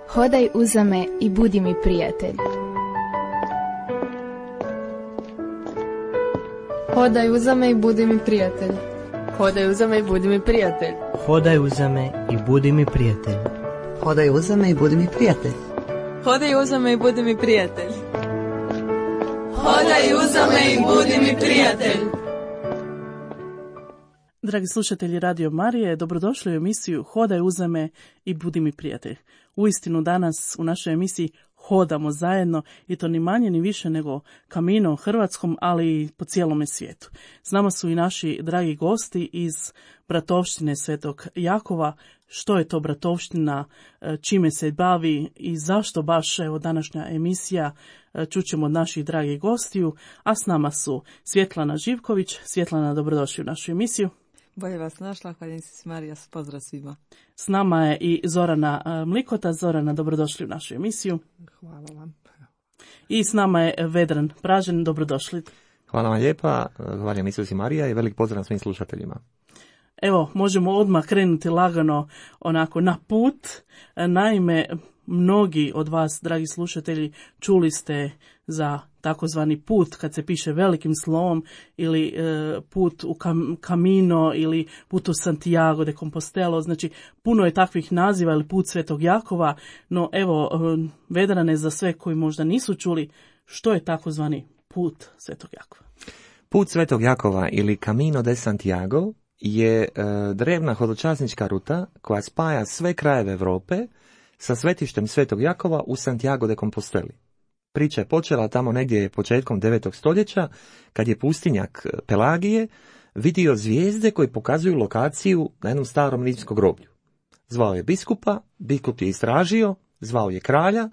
Hodaj uza me i budi mi prijatelj. Hodaj uza me i budi mi prijatelj. Hodaj uza me i budi mi prijatelj. Hodaj uza me i budi mi prijatelj. Hodaj uza me i budi mi prijatelj. Hodaj uza me i budi mi prijatelj. Hodaj uza me i budi mi prijatelj. Dragi slušatelji Radio Marije, dobrodošli u emisiju Hodaj uza me i budi mi prijatelj. Uistinu danas u našoj emisiji hodamo zajedno i to ni manje ni više nego Camino hrvatskom, ali i po cijelome svijetu. S nama su i naši dragi gosti iz bratovštine Svetog Jakova. Što je to bratovština, čime se bavi i zašto baš evo današnja emisija, čućemo od naših dragih gostiju, a s nama su Svjetlana Živković. Svjetlana, dobrodošli u našu emisiju. Bolje vas našla, hvaljen si Marija, pozdrav svima. S nama je i Zorana Mlikota. Zorana, dobrodošli u našu emisiju. Hvala vam. I s nama je Vedran Pražen, dobrodošli. Hvala vam lijepa, hvaljen Isus i Marija i velik pozdrav svim slušateljima. Evo, možemo odmah krenuti lagano onako na put. Naime, mnogi od vas, dragi slušatelji, čuli ste za takozvani put kad se piše velikim slovom ili put u Camino ili put u Santiago de Compostelo. Znači, puno je takvih naziva ili put Svetog Jakova, no evo, Vedrane, za sve koji možda nisu čuli, što je takozvani put Svetog Jakova? Put Svetog Jakova ili Camino de Santiago je drevna hodočasnička ruta koja spaja sve krajeve Europe sa svetištem Svetog Jakova u Santiago de Composteli. Priča je počela tamo negdje početkom 9. stoljeća, kad je pustinjak Pelagije vidio zvijezde koji pokazuju lokaciju na jednom starom rimskom groblju. Zvao je biskupa, biskup je istražio, zvao je kralja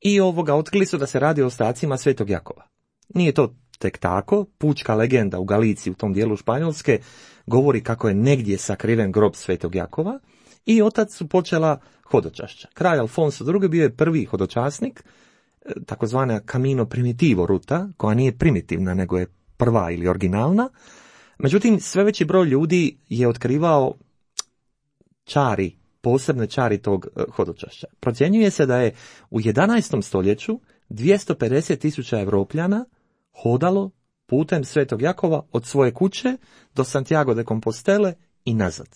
i otkrili su da se radi o ostacima Svetog Jakova. Nije to tek tako, pučka legenda u Galiciji, u tom dijelu Španjolske, govori kako je negdje sakriven grob Svetog Jakova i otac su počela hodočašća. Kralj Alfonso II bio je prvi hodočasnik, takozvana Camino Primitivo ruta, koja nije primitivna, nego je prva ili originalna. Međutim, sve veći broj ljudi je otkrivao posebne čari tog hodočašća. Procjenjuje se da je u 11. stoljeću 250.000 Evropljana hodalo putem Svetog Jakova od svoje kuće do Santiago de Compostele i nazad.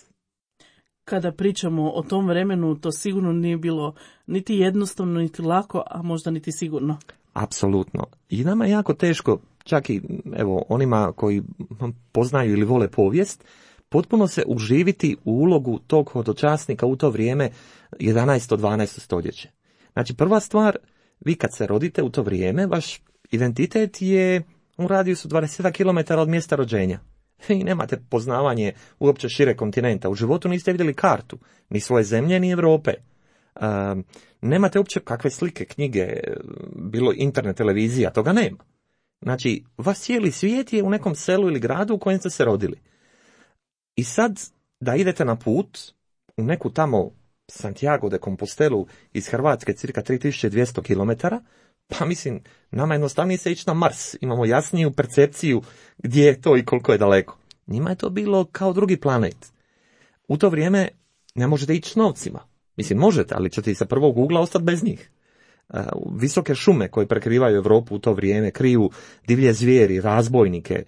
Kada pričamo o tom vremenu, to sigurno nije bilo niti jednostavno, niti lako, a možda niti sigurno. Apsolutno. I nama je jako teško, čak i onima koji poznaju ili vole povijest, potpuno se uživiti u ulogu tog hodočasnika u to vrijeme 11. 12. stoljeće. Znači, prva stvar, vi kad se rodite u to vrijeme, vaš identitet je u radijusu 20 km od mjesta rođenja. I nemate poznavanje uopće šire kontinenta. U životu niste vidjeli kartu, ni svoje zemlje, ni Europe. Nemate uopće kakve slike, knjige, bilo internet, televizija, toga nema. Znači, vas cijeli svijet je u nekom selu ili gradu u kojem ste se rodili. I sad, da idete na put u neku tamo Santiago de Compostelu iz Hrvatske, cirka 3200 km, pa mislim, nama jednostavnije se ići na Mars. Imamo jasniju percepciju gdje je to i koliko je daleko. Njima je to bilo kao drugi planet. U to vrijeme ne možete ići s novcima. Mislim, možete, ali ćete i sa prvog ugla ostati bez njih. Visoke šume koje prekrivaju Europu u to vrijeme kriju divlje zvijeri, razbojnike.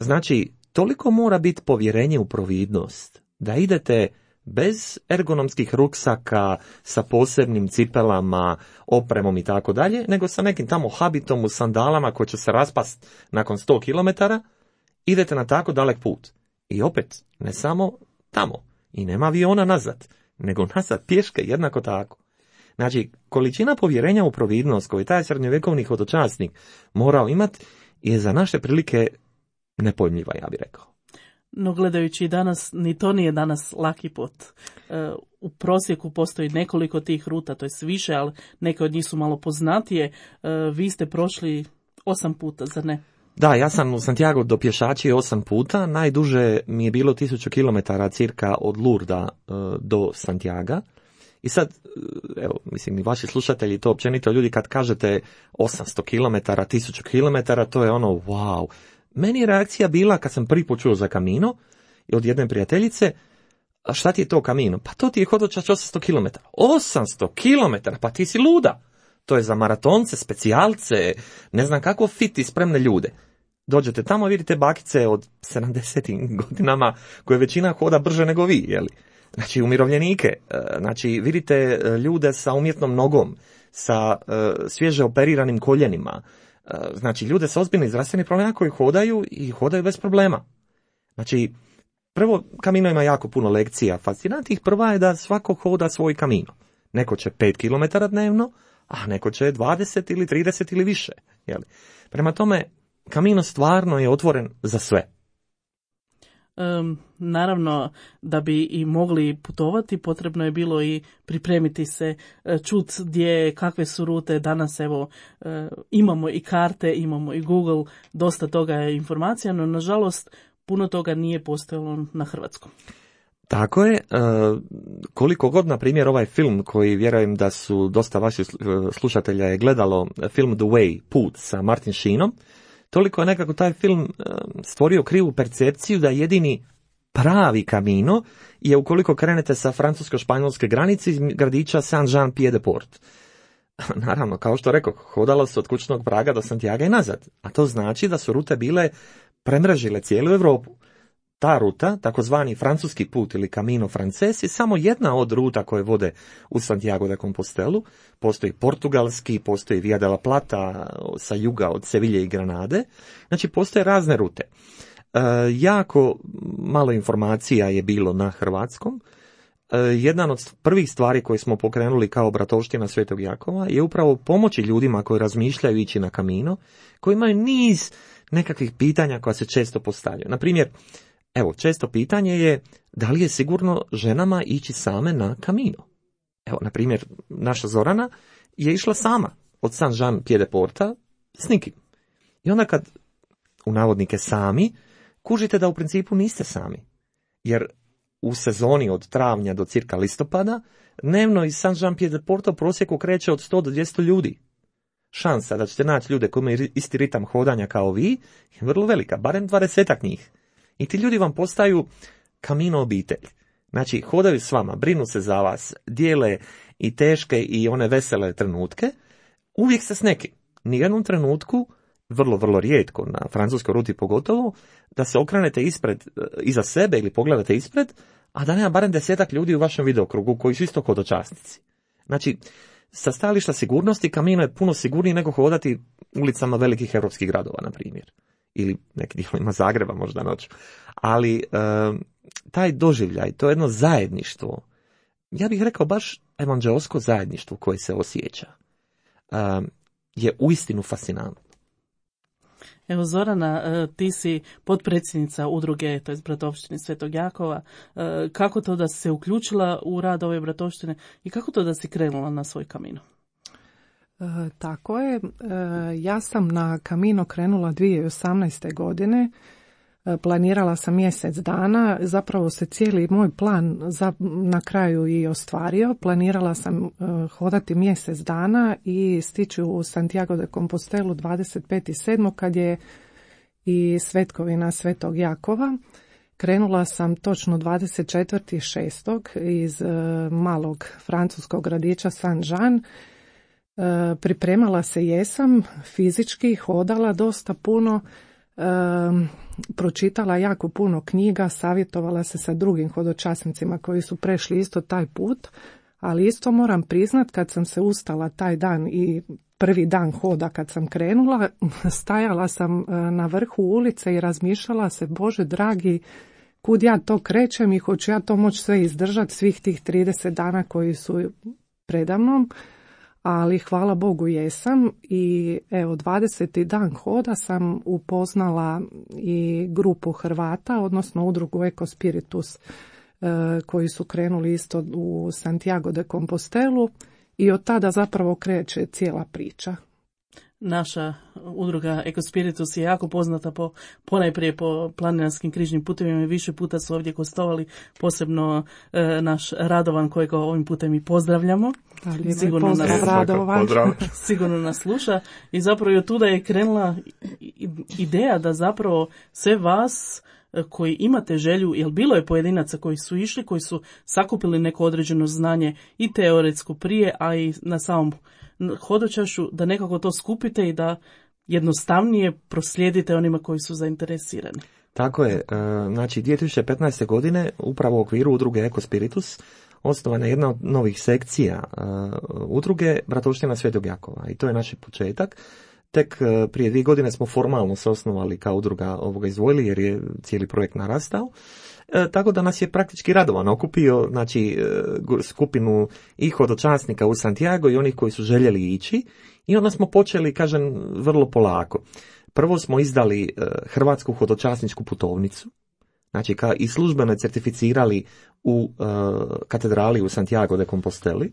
Znači, toliko mora biti povjerenje u providnost da idete bez ergonomskih ruksaka, sa posebnim cipelama, opremom i tako dalje, nego sa nekim tamo habitom u sandalama koji će se raspast nakon 100 km, idete na tako dalek put. I opet, ne samo tamo, i nema aviona nazad, nego nazad pješke jednako tako. Znači, količina povjerenja u providnost koju taj srednjovjekovni hodočasnik morao imati je za naše prilike nepojmljiva, ja bih rekao. No gledajući danas, ni to nije danas laki put. U prosjeku postoji nekoliko tih ruta, to je više, ali neke od njih su malo poznatije. Vi ste prošli 8 puta, zar ne? Da, ja sam u Santiago do pješačije 8 puta, najduže mi je bilo 1000 km cirka od Lurda do Santiaga. I sad, evo, mislim, i vaši slušatelji, to općenito ljudi kad kažete 800 km, 1000 km, to je ono, wow. Meni je reakcija bila, kad sam prvi put čuo za Camino, od jedne prijateljice, A šta ti je to Camino? Pa to ti je hodočašće 800 km. 800 km, pa ti si luda. To je za maratonce, specijalce, ne znam kako fit i spremne ljude. Dođete tamo, vidite bakice od 70 godinama koje većina hoda brže nego vi, jeli? Znači umirovljenike, znači vidite ljude sa umjetnom nogom, sa svježe operiranim koljenima, znači ljude sa ozbiljnim zdravstvenim problemima koji hodaju i hodaju bez problema. Znači, prvo, Camino ima jako puno lekcija fascinantnih. Prva je da svako hoda svoj Camino. Neko će 5 km dnevno, a neko će 20 ili 30 ili više. Jeli? Prema tome, Camino stvarno je otvoren za sve. Naravno, da bi i mogli putovati, potrebno je bilo i pripremiti se, čut gdje, kakve su rute. Danas evo imamo i karte, imamo i Google, dosta toga je informacija, no nažalost puno toga nije postojalo na hrvatskom. Tako je, koliko god, na primjer, ovaj film koji vjerujem da su dosta vaših slušatelja je gledalo, film The Way, Put sa Martin Sheenom, toliko je nekako taj film stvorio krivu percepciju da jedini pravi Camino je ukoliko krenete sa francusko-španjolske granice iz gradića Saint-Jean-Pied-de-Port. Naravno, kao što rekao, hodalo se od kućnog praga do Santiaga i nazad, a to znači da su rute bile premrežile cijelu Europu. Ta ruta, takozvani francuski put ili Camino Frances, je samo jedna od ruta koje vode u Santiago de Compostelu. Postoji portugalski, postoji Via de la Plata sa juga od Sevilje i Granade. Znači, postoje razne rute. Jako malo informacija je bilo na hrvatskom. Jedan od prvih stvari koje smo pokrenuli kao bratovština Svetog Jakova je upravo pomoći ljudima koji razmišljaju ići na Camino, koji imaju niz nekakvih pitanja koja se često postavljaju. Na primjer, evo, često pitanje je da li je sigurno ženama ići same na Camino. Evo, na primjer, naša Zorana je išla sama od Saint-Jean-Pied-de-Porta s nikim. I onda kad, u navodnike sami, kužite da u principu niste sami. Jer u sezoni od travnja do cirka listopada, dnevno iz Saint-Jean-Pied-de-Porta u prosjeku kreće od 100 do 200 ljudi. Šansa da ćete naći ljude koji imaju isti ritam hodanja kao vi je vrlo velika, barem 20-ak njih. I ti ljudi vam postaju Camino obitelj. Znači, hodaju s vama, brinu se za vas, dijele i teške i one vesele trenutke, uvijek se s nekim. Nijednom trenutku, vrlo, vrlo rijetko, na francuskoj ruti pogotovo, da se okrenete iza sebe ili pogledate ispred, a da nema barem 10-ak ljudi u vašem videokrugu koji su isto hodočasnici. Znači, sa stajališta sigurnosti Camino je puno sigurniji nego hodati ulicama velikih europskih gradova, na primjer. Ili neki dijelovima Zagreba možda noću. Ali taj doživljaj, to jedno zajedništvo, ja bih rekao baš evanđeosko zajedništvo koje se osjeća, je uistinu fascinantno. Evo Zorana, ti si potpredsjednica udruge, to je bratovštine Svetog Jakova. Kako to da si se uključila u rad ove bratovštine i kako to da si krenula na svoj Camino? Tako je. Ja sam na Camino krenula 2018. godine. Planirala sam mjesec dana. Zapravo se cijeli moj plan na kraju i ostvario. Planirala sam hodati mjesec dana i stići u Santiago de Compostelu 25.7. kad je i svetkovina Svetog Jakova. Krenula sam točno 24.6. iz malog francuskog gradića Saint-Jean. Pripremala se jesam, fizički, hodala dosta puno, pročitala jako puno knjiga, savjetovala se sa drugim hodočasnicima koji su prešli isto taj put, ali isto moram priznat kad sam se ustala taj dan i prvi dan hoda kad sam krenula, stajala sam na vrhu ulice i razmišljala se, Bože dragi, kud ja to krećem i hoću ja to moći sve izdržati svih tih 30 dana koji su predamnom. Ali hvala Bogu jesam i evo 20. dan hoda sam upoznala i grupu Hrvata, odnosno udrugu Eko Spiritus koji su krenuli isto u Santiago de Compostelu i od tada zapravo kreće cijela priča. Naša udruga Eko Spiritus je jako poznata ponajprije po planinarskim križnim putevima i više puta su ovdje gostovali, posebno naš Radovan kojega ovim putem i pozdravljamo. Sigurno nas sluša i zapravo i od tuda je krenula ideja da zapravo sve vas koji imate želju, jer bilo je pojedinaca koji su išli, koji su sakupili neko određeno znanje i teoretsko prije, a i na samom hodočašu, da nekako to skupite i da jednostavnije proslijedite onima koji su zainteresirani. Tako je. Znači, 2015. godine upravo u okviru udruge Eko Spiritus osnovana je jedna od novih sekcija udruge Bratovština Svetog Jakova i to je naš početak. Tek prije 2 godine smo formalno se osnovali kao udruga ovoga izdvojili jer je cijeli projekt narastao. Tako da nas je praktički Radovan okupio, znači skupinu i hodočasnika u Santiago i onih koji su željeli ići i onda smo počeli, kažem, vrlo polako. Prvo smo izdali hrvatsku hodočasničku putovnicu, znači i službeno je certificirali u katedrali u Santiago de Composteli.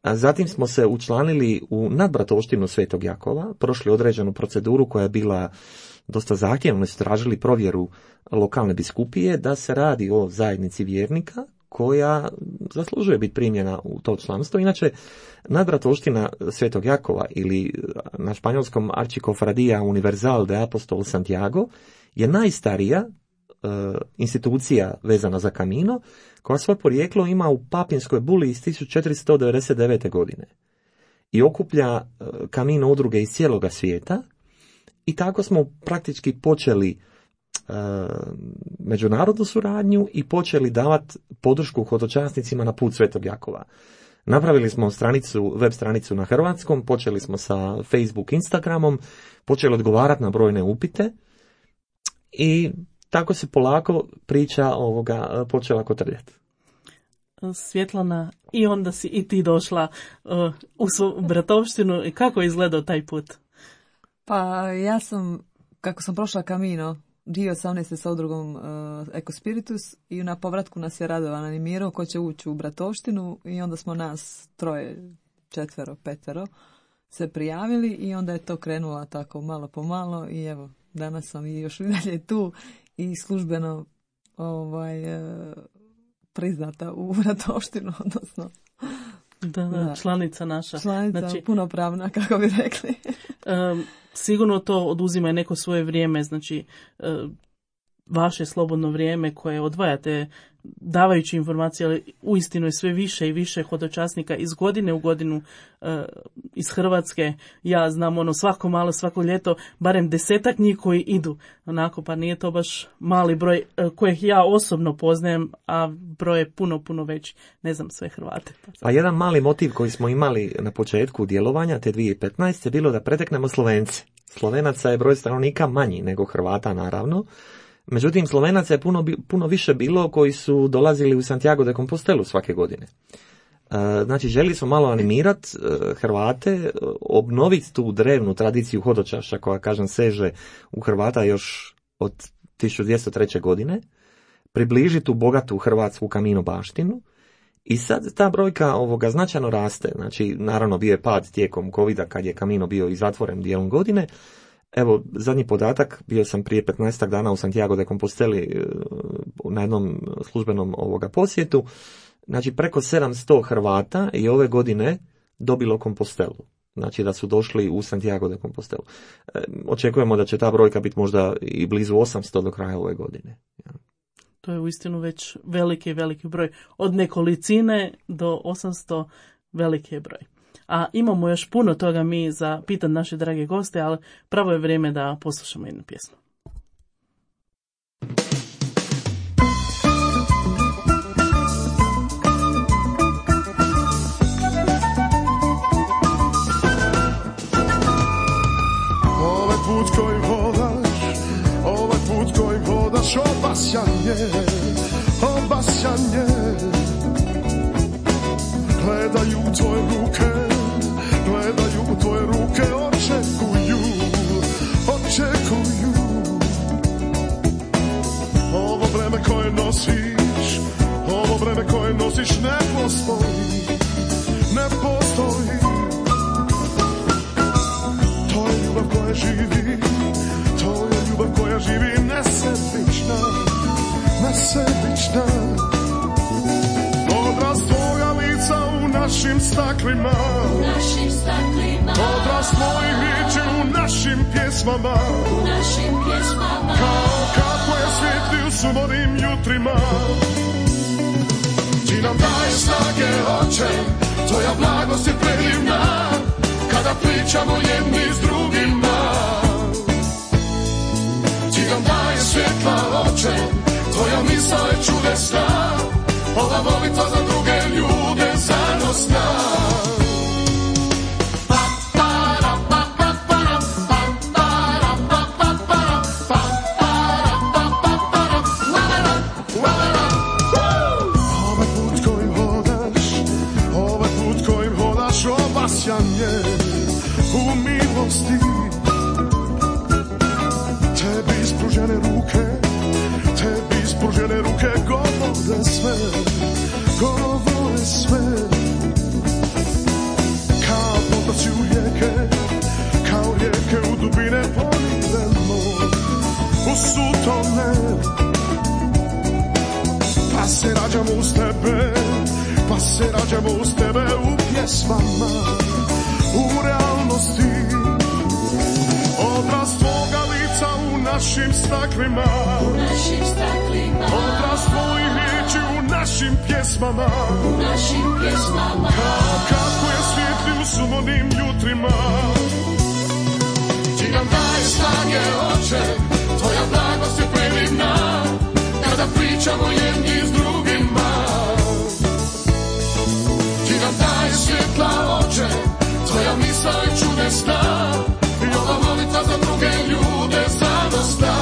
Zatim smo se učlanili u nadbratovštinu Svetog Jakova, prošli određenu proceduru koja je bila dosta zahtjevna, su tražili provjeru lokalne biskupije da se radi o zajednici vjernika koja zaslužuje biti primljena u to članstvo. Inače, nadbratovština Svetog Jakova ili na španjolskom Archicofradía Universal de Apostol Santiago je najstarija institucija vezana za Camino, koja svoje porijeklo ima u papinskoj buli iz 1499. godine i okuplja Camino udruge iz cijeloga svijeta i tako smo praktički počeli međunarodnu suradnju i počeli davati podršku hodočasnicima na put Svetog Jakova. Napravili smo web stranicu na hrvatskom, počeli smo sa Facebook, Instagramom, počeli odgovarati na brojne upite i tako se polako priča počela kotrljati. Svjetlana, i onda si i ti došla u svoju bratovštinu i kako je izgledao taj put? Pa ja sam, kako sam prošla Camino 2018. sa udrugom Eko Spiritus i na povratku nas je Radovan animirao ko će ući u bratovštinu i onda smo nas 3, 4, 5 se prijavili i onda je to krenulo tako malo po malo i evo, danas sam i još i dalje tu i službeno priznata u bratovštinu, odnosno da, članica naša. Članica, znači, punopravna, kako bi rekli. Sigurno to oduzima neko svoje vrijeme, znači vaše slobodno vrijeme koje odvajate davajući informacije, ali uistinu je sve više i više hodočasnika iz godine u godinu iz Hrvatske. Ja znam svako ljeto barem 10 njih koji idu onako, pa nije to baš mali broj kojih ja osobno poznajem, a broj je puno veći, ne znam sve Hrvate. A jedan mali motiv koji smo imali na početku djelovanja te 2015 je bilo da preteknemo Slovence. Slovenaca je broj stanovnika manji nego Hrvata naravno. Međutim, Slovenaca je puno više bilo koji su dolazili u Santiago de Compostelu svake godine. Znači, želi smo malo animirati Hrvate, obnoviti tu drevnu tradiciju hodočaša koja, kažem, seže u Hrvata još od 1203. godine, približiti tu bogatu hrvatsku Camino baštinu i sad ta brojka značajno raste. Znači, naravno bio je pad tijekom covida kad je Camino bio i zatvoren dijelom godine. Evo, zadnji podatak, bio sam prije 15 dana u Santiago de Composteli na jednom službenom posjetu. Znači, preko 700 Hrvata i ove godine dobilo Compostelu. Znači, da su došli u Santiago de Compostelu. Očekujemo da će ta brojka biti možda i blizu 800 do kraja ove godine. To je uistinu već veliki broj. Od nekolicine do 800 veliki je broj. A imamo još puno toga mi za pitat naše drage goste, ali pravo je vrijeme da poslušamo jednu pjesmu. Ovaj put kojim hodaš, obasjanje, gledaju tvoje ruke, očekuju. Ovo vreme koje nosiš ne postoji. To je ljubav koja živi, nesebična. Odraz tvoga lica u u našim staklima, odraz tvojih riječi u našim pjesmama, kao kako je svjetli u sumornim jutrima. Ti nam daje snage, Oče, tvoja blagost je predivna, kada pričamo jedni s drugima. Ti nam daje svjetla, Oče, tvoja misao je čudesna, ova molitva za druge ljude zanosna. U milosti tebi ispružene ruke govore sve kao potoci u rijeke u dubine ponidemo u sutone, pa se rađamo uz tebe u pjesmama, u realnosti, odraz tvoga lica u našim staklima, odraz tvojih riječi u našim pjesmama, kao kako je svjetli u sumornim jutrima. Ti nam daje snage, Oče, tvoja blagost je predivna, kada pričamo jedni s drugima. Ti nam daje svjetla, Oče, tvoja misao je čudesna, i ova molitva za druge ljude zanosna.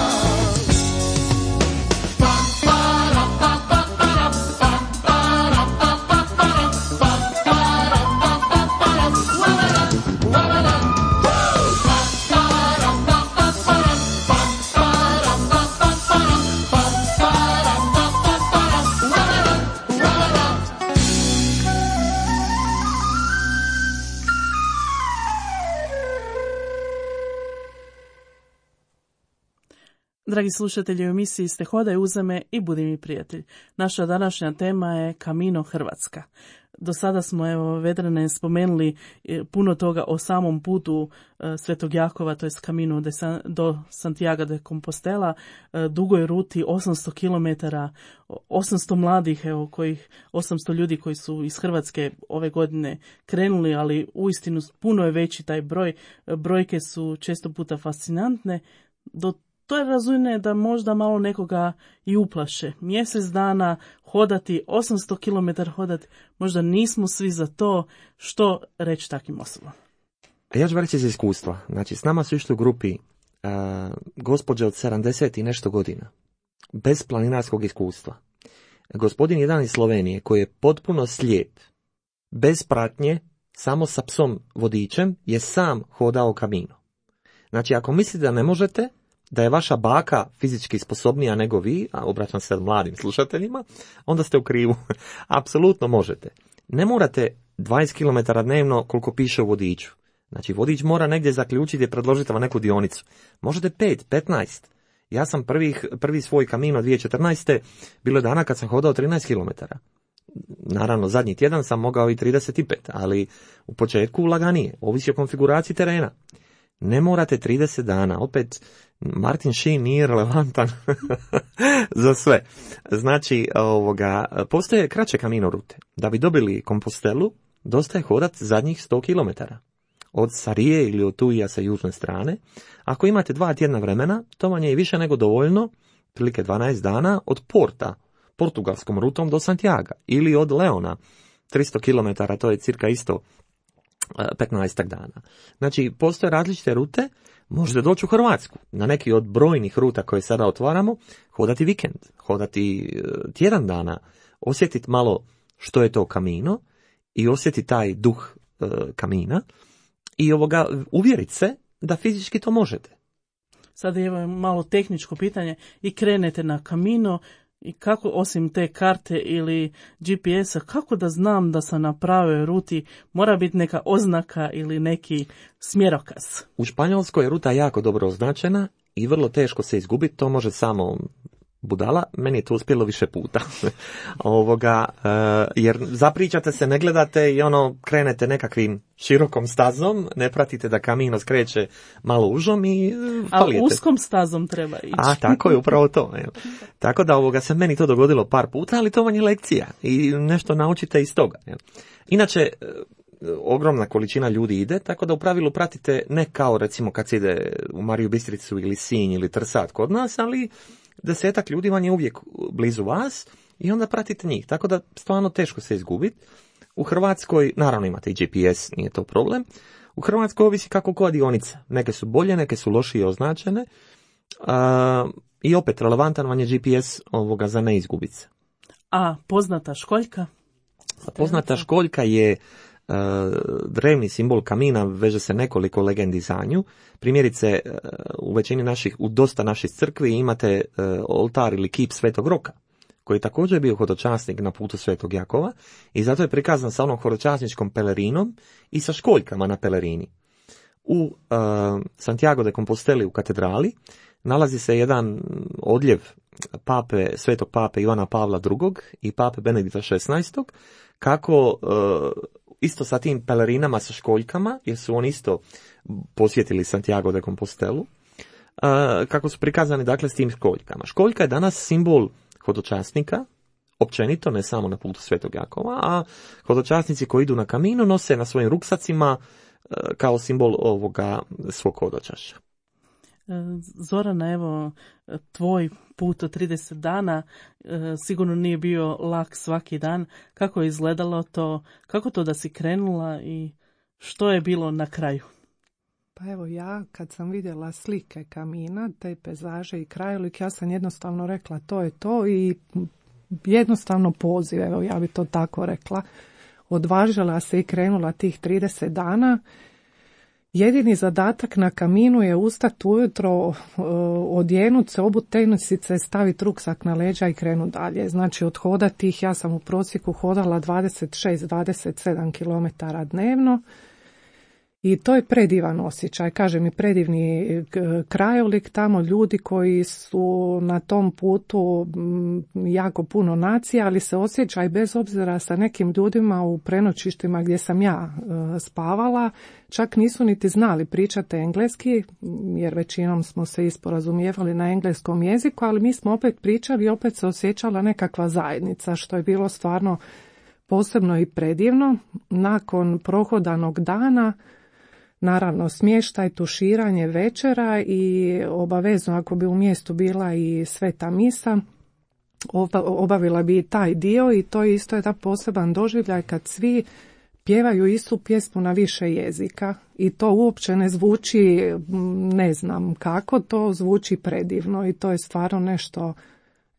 Dragi slušatelji, u emisiji ste Hodaj uza me i budi mi prijatelj. Naša današnja tema je Camino Hrvatska. Do sada smo, Vedrane, spomenuli puno toga o samom putu Svetog Jakova, to je Camino do Santiago de Compostela, dugoj ruti 800 km, 800 mladih, kojih 800 ljudi koji su iz Hrvatske ove godine krenuli, ali uistinu puno je veći taj broj. Brojke su često puta fascinantne. To je razumno da možda malo nekoga i uplaše. Mjesec dana hodati, 800 km hodati, možda nismo svi za to. Što reći takvim osobama? Ja ću reći iz iskustva. Znači, s nama su išli u grupi gospođe od 70 i nešto godina, bez planinarskog iskustva. Gospodin jedan iz Slovenije, koji je potpuno slijep, bez pratnje, samo sa psom vodičem, je sam hodao Camino. Znači, ako mislite da ne možete, da je vaša baka fizički sposobnija nego vi, a obraćam se mladim slušateljima, onda ste u krivu. Apsolutno možete. Ne morate 20 km dnevno koliko piše u vodiču. Znači, vodič mora negdje zaključiti i predložiti vam neku dionicu. Možete 5, 15. Ja sam prvi svoj Camino 2014. bilo dana kad sam hodao 13 km. Naravno, zadnji tjedan sam mogao i 35, ali u početku laganije. Ovisi o konfiguraciji terena. Ne morate 30 dana, opet Martin Sheen nije relevantan za sve. Znači, postoje kraće Camino rute. Da bi dobili Compostelu, dosta je hodat zadnjih 100 km. Od Sarije ili od Tuija sa južne strane. Ako imate 2 tjedna vremena, to vam je i više nego dovoljno, prilike 12 dana, od Porta, portugalskom rutom do Santiaga, ili od Leona, 300 km, to je cirka isto 15 dana. Znači, postoje različite rute, možete doći u Hrvatsku, na neki od brojnih ruta koje sada otvaramo, hodati vikend, hodati tjedan dana, osjetiti malo što je to Camino i osjetiti taj duh Camina i uvjeriti se da fizički to možete. Sada je malo tehničko pitanje i krenete na Camino i kako osim te karte ili GPS-a, kako da znam da sam na pravoj ruti, mora biti neka oznaka ili neki smjerokaz? U Španjolskoj je ruta jako dobro označena i vrlo teško se izgubiti, to može samo budala, meni je to uspjelo više puta. Jer zapričate se, ne gledate i krenete nekakvim širokom stazom, ne pratite da kamino skreće malo užom i palijete. A uskom stazom treba ići. A, tako je, upravo to. Tako da se meni to dogodilo par puta, ali to vam je lekcija i nešto naučite iz toga. Inače, ogromna količina ljudi ide, tako da u pravilu pratite ne kao recimo kad se ide u Mariju Bistricu ili Sinj ili Trsat kod nas, ali 10 ljudi vam je uvijek blizu vas i onda pratite njih. Tako da stvarno teško se izgubiti. U Hrvatskoj, naravno imate i GPS, nije to problem. U Hrvatskoj ovisi kako koja dionica. Neke su bolje, neke su lošije označene. I opet, relevantan vam je GPS za ne izgubiti se. A poznata školjka? Poznata školjka je drevni simbol kamina, veže se nekoliko legendi za nju. Primjerice, u dosta naših crkvi imate oltar ili kip Svetog Roka, koji je također bio hodočasnik na putu Svetog Jakova i zato je prikazan sa onom hodočasničkom pelerinom i sa školjkama na pelerini. U Santiago de Composteli u katedrali nalazi se jedan odljev svetog pape Ivana Pavla II. I pape Benedikta XVI. Kako isto sa tim pelerinama sa školjkama, jer su oni isto posjetili Santiago de Compostelu, kako su prikazani dakle s tim školjkama. Školjka je danas simbol hodočasnika, općenito, ne samo na putu Svetog Jakova, a hodočasnici koji idu na kamino nose na svojim ruksacima kao simbol svog hodočašća. Zorana, evo, tvoj put od 30 dana sigurno nije bio lak svaki dan. Kako je izgledalo to? Kako to da si krenula i što je bilo na kraju? Pa evo, ja kad sam vidjela slike kamina, te pejzaže i krajolik, ja sam jednostavno rekla to je to i jednostavno poziv, evo ja bi to tako rekla. Odvažila se i krenula tih 30 dana. Jedini zadatak na kaminu je ustati ujutro, odjenut se, obut tenisice, staviti ruksak na leđa i krenut dalje. Znači odhodati ih, ja sam u prosjeku hodala 26-27 km dnevno i to je predivan osjećaj. Kažem i predivni krajolik, tamo ljudi koji su na tom putu jako puno nacija, ali se osjećaj bez obzira sa nekim ljudima u prenoćištima gdje sam ja spavala, čak nisu niti znali pričati engleski, jer većinom smo se isporazumijevali na engleskom jeziku, ali mi smo opet pričali i opet se osjećala nekakva zajednica, što je bilo stvarno posebno i predivno. Nakon prohodanog dana, naravno smještaj, tuširanje, večera i obavezno ako bi u mjestu bila i sveta misa, obavila bi i taj dio i to je isto jedan poseban doživljaj kad svi pjevaju istu pjesmu na više jezika i to uopće ne zvuči ne znam kako, to zvuči predivno i to je stvarno nešto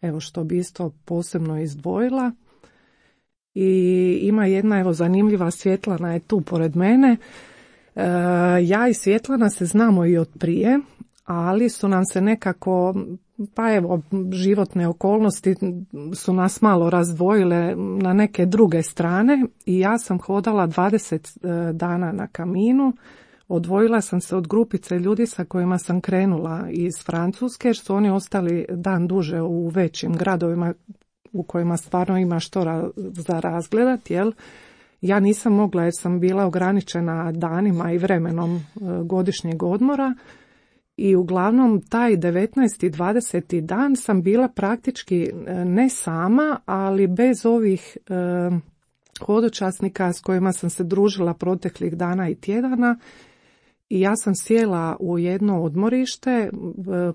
evo što bi isto posebno izdvojila. I ima jedna evo zanimljiva, Svjetlana je tu pored mene. Ja i Svjetlana se znamo i od prije, ali su nam se nekako, pa evo, životne okolnosti su nas malo razdvojile na neke druge strane i ja sam hodala 20 dana na kaminu. Odvojila sam se od grupice ljudi sa kojima sam krenula iz Francuske, jer su oni ostali dan duže u većim gradovima u kojima stvarno ima što za razgledat, jel? Ja nisam mogla jer sam bila ograničena danima i vremenom godišnjeg odmora i uglavnom taj 19. i 20. dan sam bila praktički ne sama, ali bez ovih hodočasnika s kojima sam se družila proteklih dana i tjedana. I ja sam sjela u jedno odmorište,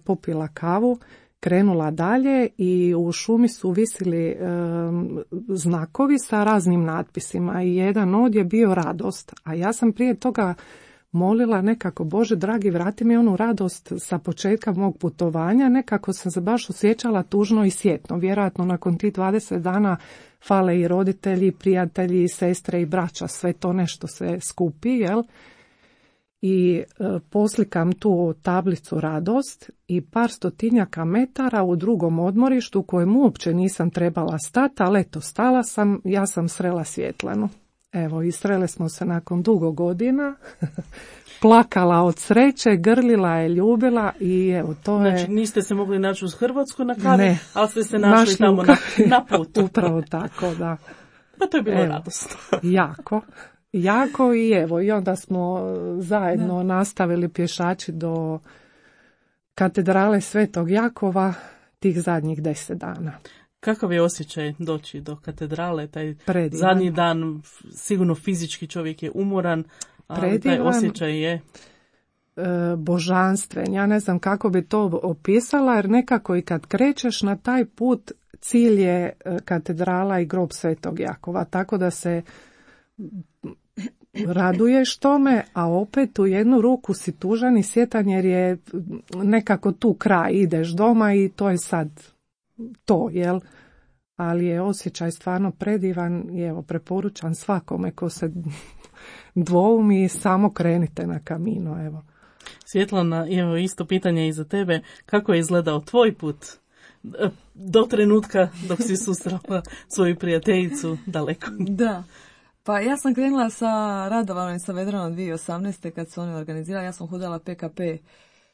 popila kavu, krenula dalje i u šumi su visili znakovi sa raznim natpisima i jedan od je bio radost, a ja sam prije toga molila nekako, Bože dragi, vrati mi onu radost sa početka mog putovanja, nekako sam se baš osjećala tužno i sjetno, vjerojatno nakon tih 20 dana fale i roditelji, i prijatelji, i sestre i braća, sve to nešto se skupi, jel? I poslikam tu tablicu radost i par stotinjaka metara u drugom odmorištu u kojem uopće nisam trebala stati, ali eto, stala sam, ja sam srela Svjetlanu. Evo, isrele smo se nakon dugo godina, plakala od sreće, grlila je, ljubila i evo, to je... Znači, niste se mogli naći uz Hrvatsku na kavi, ne, ali ste se našli tamo na putu. Upravo tako, da. Pa to je bilo radosno. Jako i evo, i onda smo zajedno nastavili pješači do katedrale Svetog Jakova tih zadnjih 10 dana. Kakav je osjećaj doći do katedrale, taj Predivan. zadnji dan, sigurno fizički čovjek je umoran, ali taj osjećaj je... božanstven. Ja ne znam kako bi to opisala, jer nekako i kad krećeš na taj put, cilj je katedrala i grob Svetog Jakova, tako da se raduješ tome, a opet u jednu ruku si tužan i sjetan jer je nekako tu kraj, ideš doma i to je sad to, jel? Ali je osjećaj stvarno predivan i evo, preporučam svakome ko se dvoumi, samo krenite na Camino, evo. Svjetlana, evo isto pitanje i za tebe, kako je izgledao tvoj put do trenutka dok si susrela svoju prijateljicu daleko? Da. Pa ja sam krenula sa Radovanom i sa Vedranom 2018. kad su oni organizirali. Ja sam hodala PKP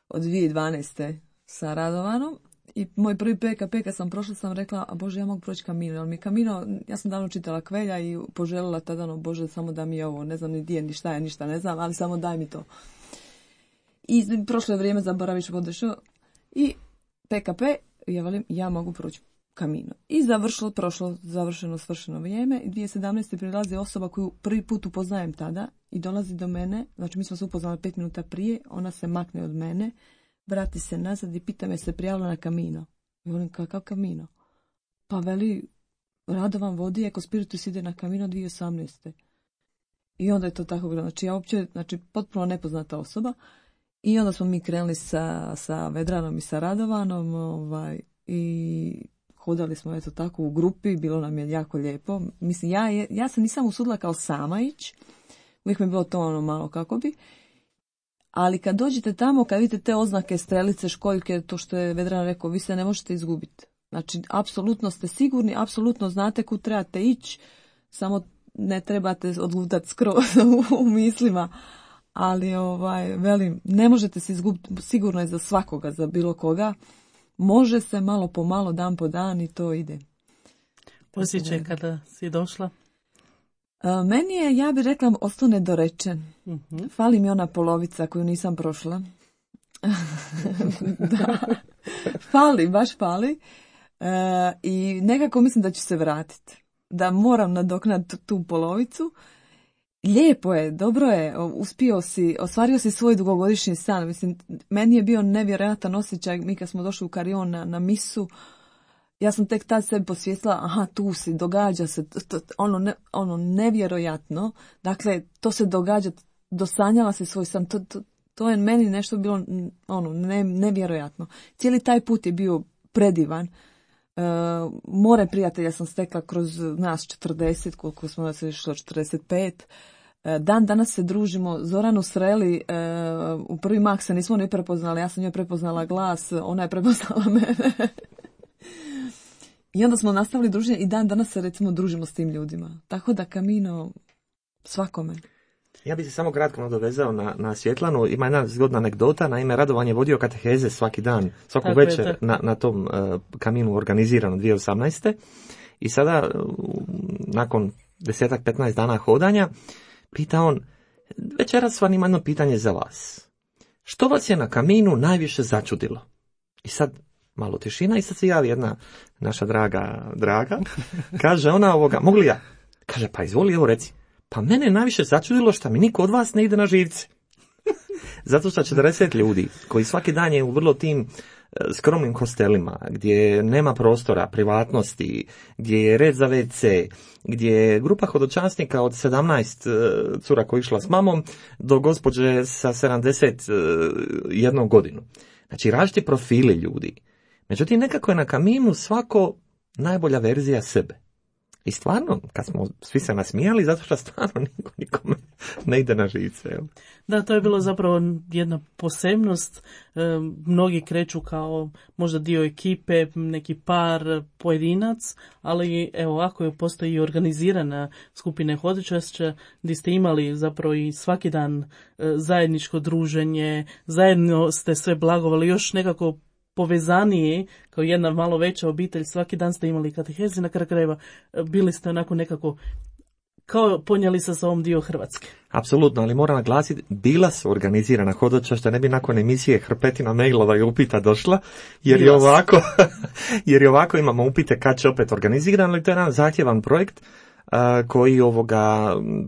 od 2012. sa Radovanom. I moj prvi PKP kad sam prošla sam rekla, a Bože, ja mogu proći Camino. Jer mi Camino, ja sam davno čitala Kvelja i poželjela tada, Bože, samo da mi je ovo, ne znam ni gdje, ni šta je, ništa ne znam, ali samo daj mi to. I prošlo je vrijeme, zaboraviš podešao. I PKP, ja velim, ja mogu proći Camino. I završeno, svršeno vrijeme. I 2017. prilazi osoba koju prvi put upoznajem tada i dolazi do mene. Znači, mi smo se upoznali 5 minuta prije. Ona se makne od mene, vrati se nazad i pita me se prijavila na Camino. I volim, kakav Camino? Pa veli, Radovan vodi, Eko Spiritus ide na Camino 2018. I onda je to tako bilo. Znači, ja uopće, potpuno nepoznata osoba. I onda smo mi krenuli sa Vedranom i sa Radovanom i hodali smo eto tako u grupi, bilo nam je jako lijepo. Mislim, ja se nisam usudila kao sama ići, uvijek mi je bilo to malo kako bi. Ali kad dođete tamo, kad vidite te oznake, strelice, školjke, to što je Vedran rekao, vi se ne možete izgubiti. Znači, apsolutno ste sigurni, apsolutno znate kud trebate ići, samo ne trebate odlutati skroz u mislima. Ali, velim, ne možete se izgubiti, sigurno je za svakoga, za bilo koga. Može se malo po malo, dan po dan i to ide. Osjećaj kada si došla? Meni je, ja bih rekla, ostao nedorečen. Fali mi ona polovica koju nisam prošla. Da. Baš fali. I nekako mislim da ću se vratiti. Da moram nadoknaditi tu polovicu. Lijepo je, dobro je, ostvario si svoj dugogodišnji san. Mislim, meni je bio nevjerojatan osjećaj, mi kad smo došli u Karion na misu, ja sam tek tad sebi posvijestila, aha, tu si, događa se, ono nevjerojatno, dakle, to se događa, dosanjala se svoj san, to je meni nešto bilo, nevjerojatno. Cijeli taj put je bio predivan. More prijatelja sam stekla kroz nas 40, koliko smo se išlo 45. Dan danas se družimo. Zoranu sreli, u prvi mah se nismo ni prepoznali, ja sam njoj prepoznala glas, ona je prepoznala mene. I onda smo nastavili druženje i dan danas se recimo družimo s tim ljudima. Tako da Camino svakome. Ja bih se samo kratko nadovezao na Svjetlanu. Ima jedna zgodna anegdota, naime Radovan je vodio kateheze svaki dan, svaku večer na tom Caminu organizirano 2018. I sada, nakon 10-15 dana hodanja, pita on, večeras vam ima jedno pitanje za vas. Što vas je na Caminu najviše začudilo? I sad malo tišina i sad se javi jedna naša draga, kaže ona mogu li ja? Kaže, pa izvoli, evo reci. Pa mene je najviše začudilo što mi niko od vas ne ide na živce. Zato što 40 ljudi koji svaki dan je u vrlo tim skromnim hostelima, gdje nema prostora, privatnosti, gdje je red za WC, gdje je grupa hodočasnika od 17 cura koja je išla s mamom do gospođe sa 71 godinu. Znači različiti profili ljudi. Međutim, nekako je na Caminu svako najbolja verzija sebe. I stvarno, kad smo svi se nasmijali, zato što stvarno niko nikome ne ide na žice. Evo. Da, to je bilo zapravo jedna posebnost. Mnogi kreću kao možda dio ekipe, neki par, pojedinac, ali evo ovako postoji i organizirana skupine hodočašća gdje ste imali zapravo i svaki dan zajedničko druženje, zajedno ste sve blagovali, još nekako povezaniji, kao jedna malo veća obitelj, svaki dan ste imali katehezi, na kraju krajeva bili ste onako nekako kao ponijeli sa sobom dio Hrvatske. Apsolutno, ali moram naglasiti, bila su organizirana hodočašća, ne bi nakon emisije hrpetina mailova i upita došla, jer je ovako imamo upite kad će opet organizirano, ali to je jedan zahtjevan projekt koji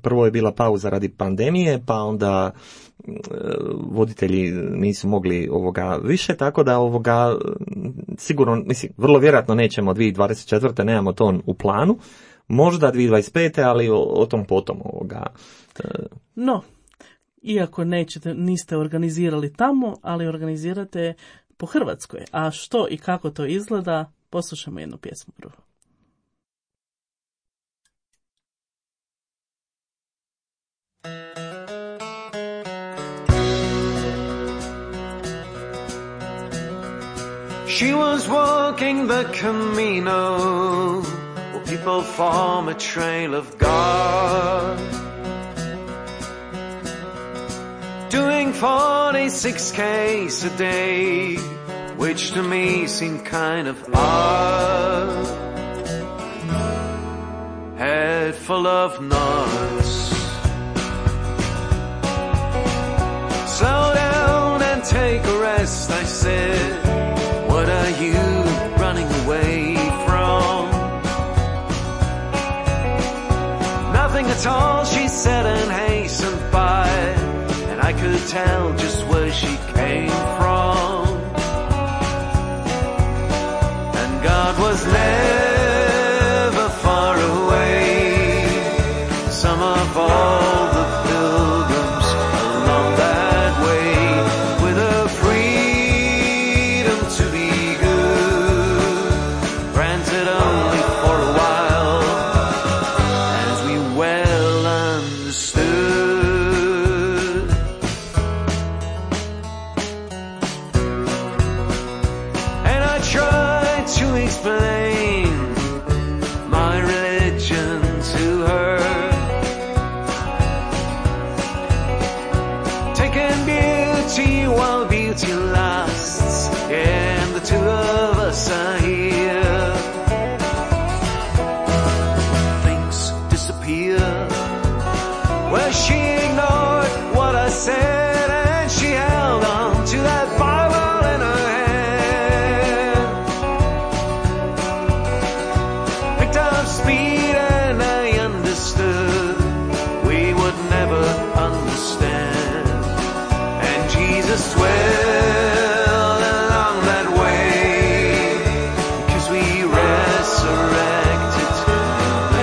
prvo je bila pauza radi pandemije, pa onda voditelji nisu mogli više, tako da sigurno, vrlo vjerojatno nećemo 2024. nemamo to u planu, možda 2025. ali o tom potom No, iako niste organizirali tamo, ali organizirate po Hrvatskoj. A što i kako to izgleda, poslušamo jednu pjesmu prvo. She was walking the Camino, where people form a trail of God, doing 46 Ks a day, which to me seemed kind of odd. Head full of nuts, slow down and take a rest, I said. What are you running away from? Nothing at all, she said and hastened by, and I could tell just where she came from. And God was never far away. Some of all the pilgrims along that way, with a freedom to be good, granted only for a while, as we well understood. And I tried to explain my religion to her, taking beauty while beauty lasts, and the two of us are here. Things disappear, well, she ignored what I said, and she held on to that Bible in her hand. Picked up speed and I understood we would never understand. And Jesus swelled along that way, 'cause we resurrected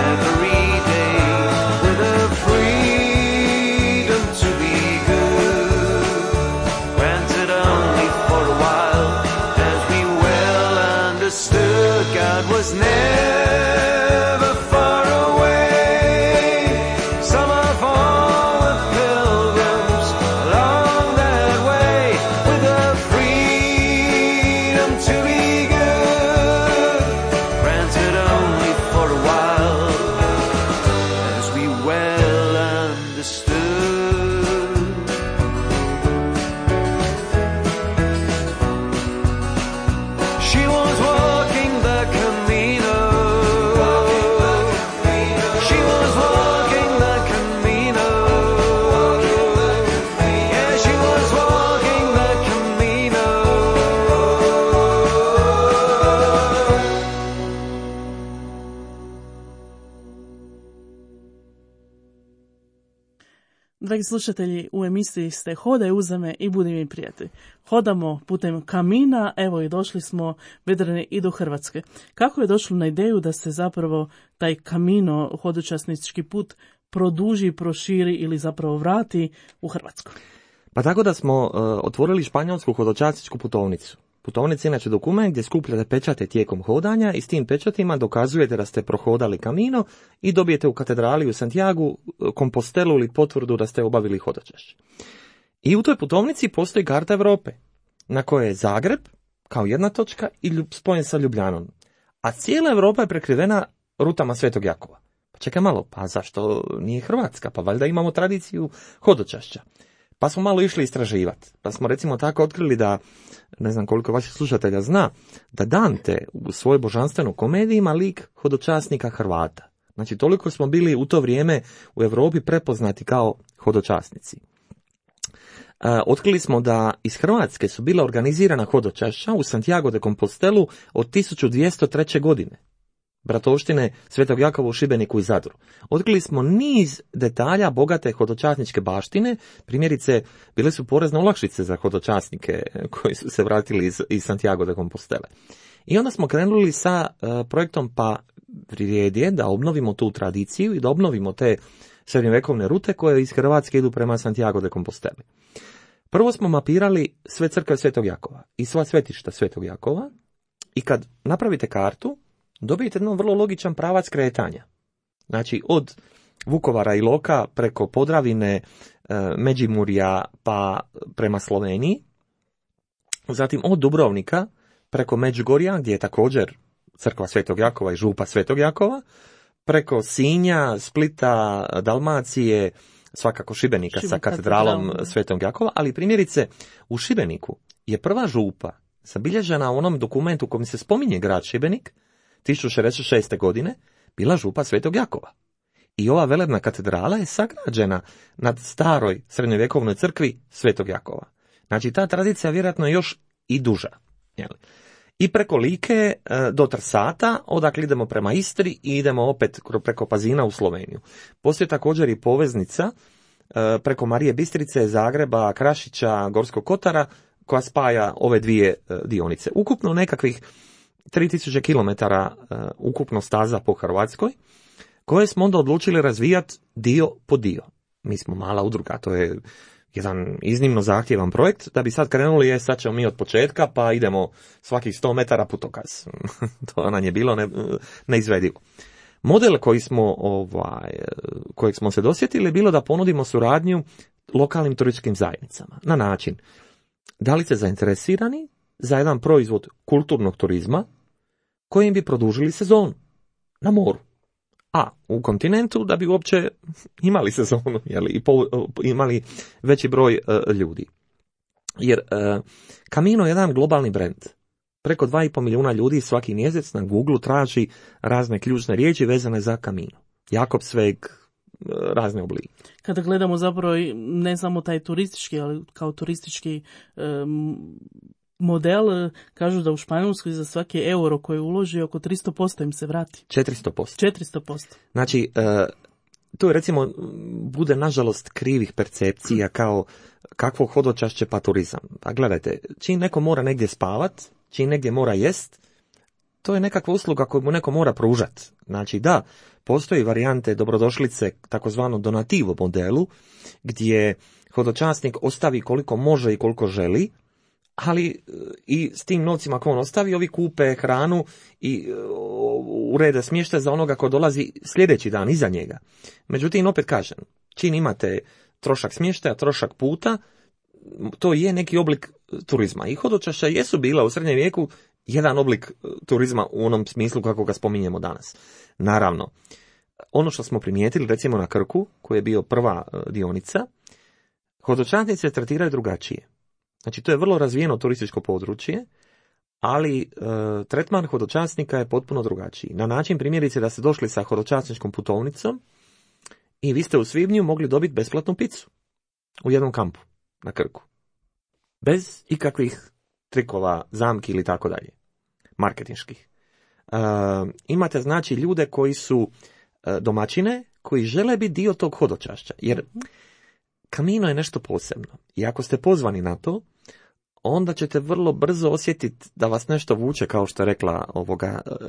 every day, with a freedom to be good, granted only for a while, as we well understood. God was never far away. Some of all the pilgrims along that way, with a freedom to be good, granted only for a while, as we well understood. She was walking the Camino. She was walking the Camino. Yeah, she was walking the Camino. Dragi slušatelji, u emisiji ste Hodaj uza me i budi mi prijatelj. Hodamo putem Kamina, evo i došli smo vedreni i do Hrvatske. Kako je došlo na ideju da se zapravo taj Kamino, hodočasnički put, produži, proširi ili zapravo vrati u Hrvatsku? Pa tako da smo otvorili španjolsku hodočasničku putovnicu. Putovnica je inače dokument gdje skupljate pečate tijekom hodanja i s tim pečatima dokazujete da ste prohodali Camino i dobijete u katedrali u Santiagu kompostelu ili potvrdu da ste obavili hodočašće. I u toj putovnici postoji karta Europe, na kojoj je Zagreb kao jedna točka i spojen sa Ljubljanom. A cijela Europa je prekrivena rutama Svetog Jakova. Pa čekaj malo, pa zašto nije Hrvatska? Pa valjda imamo tradiciju hodočašća. Pa smo malo išli istraživati. Pa smo recimo tako otkrili da, ne znam koliko vaših slušatelja zna, da Dante u svojoj božanstvenoj komediji ima lik hodočasnika Hrvata. Znači toliko smo bili u to vrijeme u Europi prepoznati kao hodočasnici. Otkrili smo da iz Hrvatske su bila organizirana hodočašća u Santiago de Compostelu od 1203. godine. Bratovštine Svetog Jakova u Šibeniku i Zadru. Otkrili smo niz detalja bogate hodočasničke baštine, primjerice bile su porezne olakšice za hodočasnike koji su se vratili iz Santiago de Compostele. I onda smo krenuli sa projektom pa vrijedi je da obnovimo tu tradiciju i da obnovimo te srednjovjekovne rute koje iz Hrvatske idu prema Santiago de Composteli. Prvo smo mapirali sve crkve Svetog Jakova i sva svetišta Svetog Jakova i kad napravite kartu, dobijete jedan vrlo logičan pravac kretanja. Znači od Vukovara i Iloka preko Podravine, Međimurja pa prema Sloveniji, zatim od Dubrovnika preko Međugorja gdje je također crkva Svetog Jakova i župa Svetog Jakova, preko Sinja, Splita, Dalmacije, svakako Šibenika sa katedralom Svetog Jakova, ali primjerice u Šibeniku je prva župa zabilježena u onom dokumentu u kojem se spominje grad Šibenik 1066. godine bila župa Svetog Jakova. I ova velebna katedrala je sagrađena nad staroj srednjovjekovnoj crkvi Svetog Jakova. Znači ta tradicija vjerojatno je još i duža. I preko Like do Trsata, odakle idemo prema Istri i idemo opet preko Pazina u Sloveniju. Postoji također i poveznica preko Marije Bistrice, Zagreba, Krašića, Gorskog Kotara, koja spaja ove dvije dionice. Ukupno nekakvih 3000 km ukupno staza po Hrvatskoj, koje smo onda odlučili razvijati dio po dio. Mi smo mala udruga, to je jedan iznimno zahtjevan projekt, da bi sad krenuli, sad ćemo mi od početka, pa idemo svakih 100 metara putokaz. To nam je bilo neizvedivo. Model kojeg smo se dosjetili je bilo da ponudimo suradnju lokalnim turističkim zajednicama. Na način, da li ste zainteresirani za jedan proizvod kulturnog turizma kojim bi produžili sezonu na moru. A u kontinentu da bi uopće imali sezonu i imali veći broj ljudi. Jer Camino je jedan globalni brend. Preko 2,5 milijuna ljudi svaki mjesec na Google traži razne ključne riječi vezane za Camino. Jakobsweg, razne oblike. Kada gledamo zapravo ne samo taj turistički, ali kao turistički model, kažu da u Španjolskoj za svaki euro koji uloži oko 300% im se vrati. 400%. Znači, to je recimo bude nažalost krivih percepcija kao kakvo hodočašće pa turizam. A gledajte, čim neko mora negdje spavat, čim negdje mora jest, to je nekakva usluga koju mu neko mora pružati. Znači da, postoji varijante dobrodošlice takozvano donativo modelu, gdje hodočasnik ostavi koliko može i koliko želi, ali i s tim novcima koje on ostavi, ovi kupe hranu i urede smještaj za onoga ko dolazi sljedeći dan iza njega. Međutim, opet kažem, čim imate trošak smještaja, trošak puta, to je neki oblik turizma. I hodočašća jesu bila u srednjem vijeku jedan oblik turizma u onom smislu kako ga spominjemo danas. Naravno, ono što smo primijetili recimo na Krku, koji je bio prva dionica, hodočasnici se tretiraju drugačije. Znači, to je vrlo razvijeno turističko područje, ali tretman hodočasnika je potpuno drugačiji. Na način, primjerice, da ste došli sa hodočasničkom putovnicom i vi ste u svibnju mogli dobiti besplatnu picu u jednom kampu na Krku. Bez ikakvih trikova, zamki ili tako dalje, marketinških. Imate, znači, ljude koji su domaćine, koji žele biti dio tog hodočašća, jer Camino je nešto posebno. I ako ste pozvani na to, onda ćete vrlo brzo osjetiti da vas nešto vuče, kao što je rekla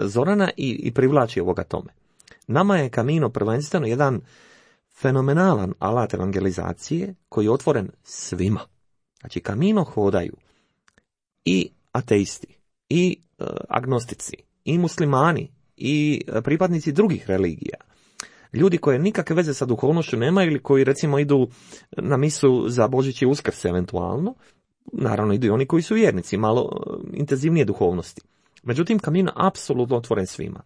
Zorana, i privlači tome. Nama je Camino prvenstveno jedan fenomenalan alat evangelizacije koji je otvoren svima. Znači, Camino hodaju i ateisti, i agnostici, i muslimani, i pripadnici drugih religija, ljudi koji nikakve veze sa duhovnošću nemaju ili koji recimo idu na misu za Božić i Uskrs eventualno, naravno idu i oni koji su vjernici, malo intenzivnije duhovnosti. Međutim, Camino apsolutno otvoren svima.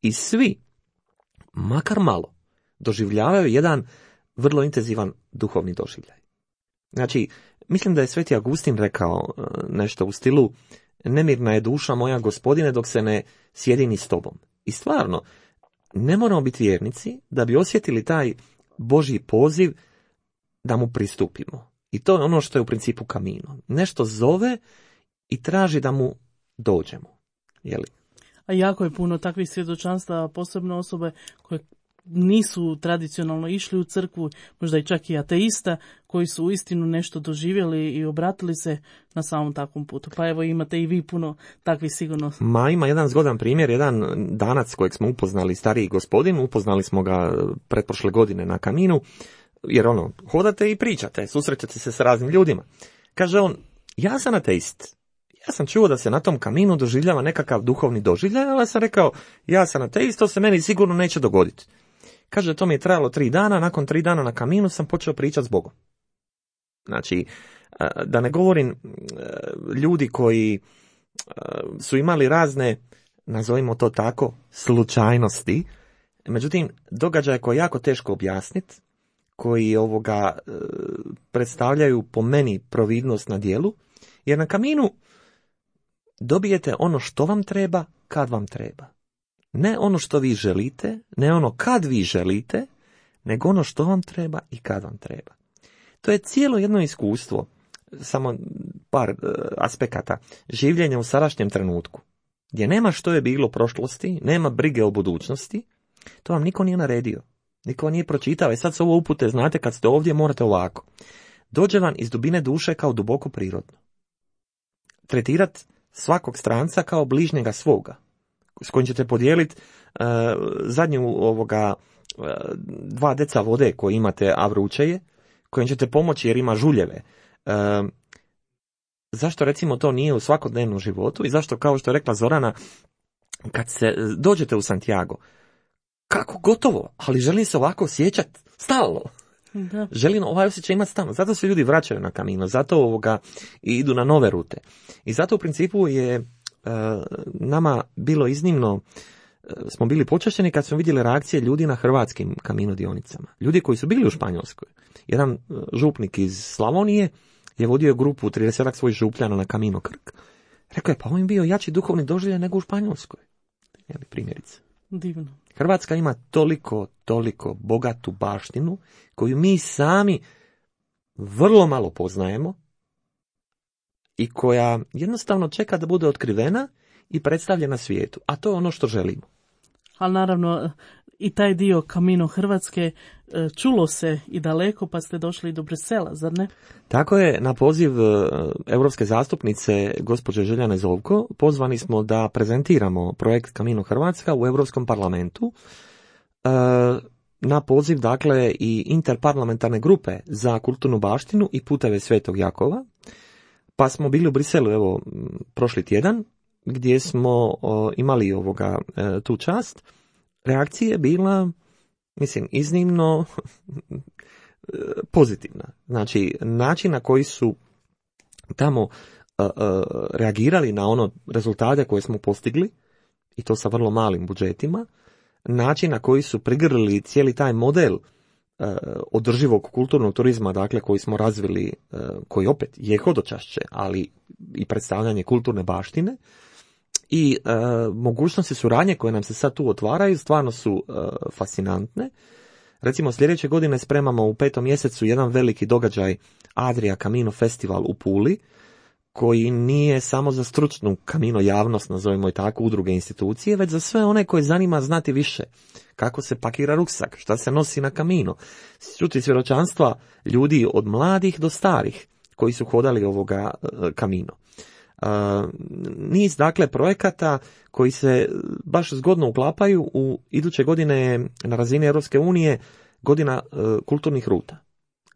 I svi, makar malo, doživljavaju jedan vrlo intenzivan duhovni doživljaj. Znači, mislim da je Sveti Augustin rekao nešto u stilu: nemirna je duša moja, Gospodine, dok se ne sjedini s tobom. I stvarno, ne moramo biti vjernici da bi osjetili taj Božji poziv da mu pristupimo. I to je ono što je u principu Camino. Nešto zove i traži da mu dođemo. Jeli? A jako je puno takvih svjedočanstva, posebno osobe koje nisu tradicionalno išli u crkvu, možda i čak i ateista, koji su uistinu nešto doživjeli i obratili se na samom takvom putu. Pa evo, imate i vi puno takvih sigurno. Ima jedan zgodan primjer, jedan Danac kojeg smo upoznali, stariji gospodin, upoznali smo ga pretprošle godine na Caminu, jer hodate i pričate, susrećete se s raznim ljudima. Kaže on, ja sam ateist. Ja sam čuo da se na tom Caminu doživljava nekakav duhovni doživljaj, ali sam rekao, ja sam ateist, to se meni sigurno neće dogoditi. Kaže, to mi je trajalo 3 dana, nakon 3 dana na Caminu sam počeo pričati s Bogom. Znači, da ne govorim ljudi koji su imali razne, nazovimo to tako, slučajnosti, međutim, događaje koje je jako teško objasniti, koji predstavljaju po meni providnost na djelu, jer na Caminu dobijete ono što vam treba, kad vam treba. Ne ono što vi želite, ne ono kad vi želite, nego ono što vam treba i kad vam treba. To je cijelo jedno iskustvo, samo par aspekata, življenja u sadašnjem trenutku, gdje nema što je bilo u prošlosti, nema brige o budućnosti, to vam niko nije naredio, niko nije pročitao, i sad su ovo upute, znate, kad ste ovdje morate ovako. Dođe vam iz dubine duše kao duboko prirodno. Tretirat svakog stranca kao bližnjega svoga, s kojim ćete podijeliti zadnju 2 deca vode koje imate, a vruće je, kojim ćete pomoći jer ima žuljeve. Zašto recimo to nije u svakodnevnom životu i zašto, kao što je rekla Zorana, kad se dođete u Santiago, kako gotovo, ali želim se ovako osjećati stalno. Da. Želim ovaj osjećaj imati stalno. Zato se ljudi vraćaju na Camino, zato idu na nove rute. I zato u principu je nama bilo iznimno, smo bili počašćeni kad smo vidjeli reakcije ljudi na hrvatskim Camino dionicama. Ljudi koji su bili u Španjolskoj. Jedan župnik iz Slavonije je vodio grupu 30 svojih župljana na Camino Krk. Rekao je, pa on je bio jači duhovni doživljaj nego u Španjolskoj. Primjerice. Divno. Hrvatska ima toliko bogatu baštinu koju mi sami vrlo malo poznajemo i koja jednostavno čeka da bude otkrivena i predstavljena svijetu. A to je ono što želimo. Ali naravno i taj dio Camino Hrvatske čulo se i daleko, pa ste došli i do Brisela, zar ne? Tako je, na poziv europske zastupnice gospođe Željane Zovko pozvani smo da prezentiramo projekt Camino Hrvatska u Europskom parlamentu. Na poziv, dakle, i interparlamentarne grupe za kulturnu baštinu i puteve Svetog Jakova. Pa smo bili u Briselu, prošli tjedan, gdje smo imali tu čast. Reakcija je bila, iznimno pozitivna. Znači, način na koji su tamo reagirali na ono rezultate koje smo postigli, i to sa vrlo malim budžetima, način na koji su prigrlili cijeli taj model održivog kulturnog turizma, dakle, koji smo razvili, koji opet je hodočašće, ali i predstavljanje kulturne baštine, i mogućnosti suradnje koje nam se sad tu otvaraju stvarno su fascinantne. Recimo, sljedeće godine spremamo u 5. mjesecu jedan veliki događaj, Adria Camino Festival u Puli, koji nije samo za stručnu Camino javnost, nazovimo i tako, udruge, institucije, već za sve one koje zanima znati više. Kako se pakira ruksak, šta se nosi na Camino. Čuti svjedočanstva ljudi od mladih do starih koji su hodali ovoga Camino. Niz, dakle, projekata koji se baš zgodno uklapaju u iduće godine na razini Europske unije godina kulturnih ruta.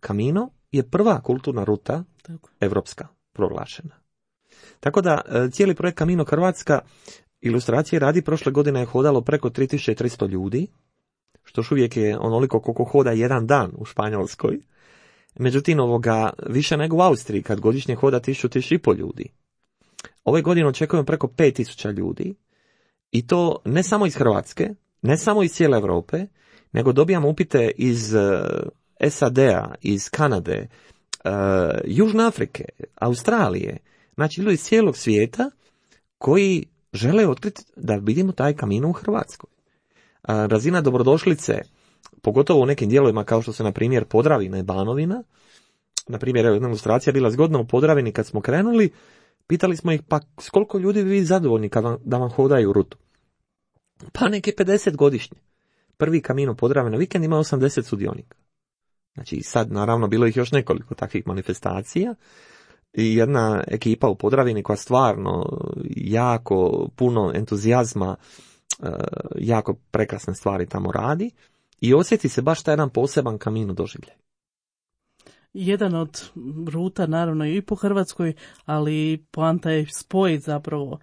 Camino je prva kulturna ruta europska proglašena. Tako da cijeli projekt Camino Hrvatska ilustracije radi prošle godine je hodalo preko 3300 ljudi, što još uvijek je onoliko koliko hoda jedan dan u Španjolskoj. Međutim, više nego u Austriji, kad godišnje hoda 1000-1500 ljudi. Ove godine očekujemo preko 5000 ljudi, i to ne samo iz Hrvatske, ne samo iz cijele Europe, nego dobijamo upite iz SAD-a, iz Kanade, Južne Afrike, Australije, znači ljudi iz cijelog svijeta koji žele otkriti da vidimo taj Camino u Hrvatskoj. Razina dobrodošlice, pogotovo u nekim dijelovima kao što se na primjer Podravina i Banovina, na primjer jedna ilustracija bila zgodna u Podravini kad smo krenuli, pitali smo ih pa s koliko ljudi bi vi zadovoljni da vam hodaju rutu. Pa neke 50 godišnje. Prvi Camino Podravina vikend ima 80 sudionika. Znači sad naravno bilo ih još nekoliko takvih manifestacija i jedna ekipa u Podravini koja stvarno jako puno entuzijazma, jako prekrasne stvari tamo radi i osjeti se baš taj jedan poseban Camino doživljaj. Jedan od ruta naravno i po Hrvatskoj, ali poanta je spojiti zapravo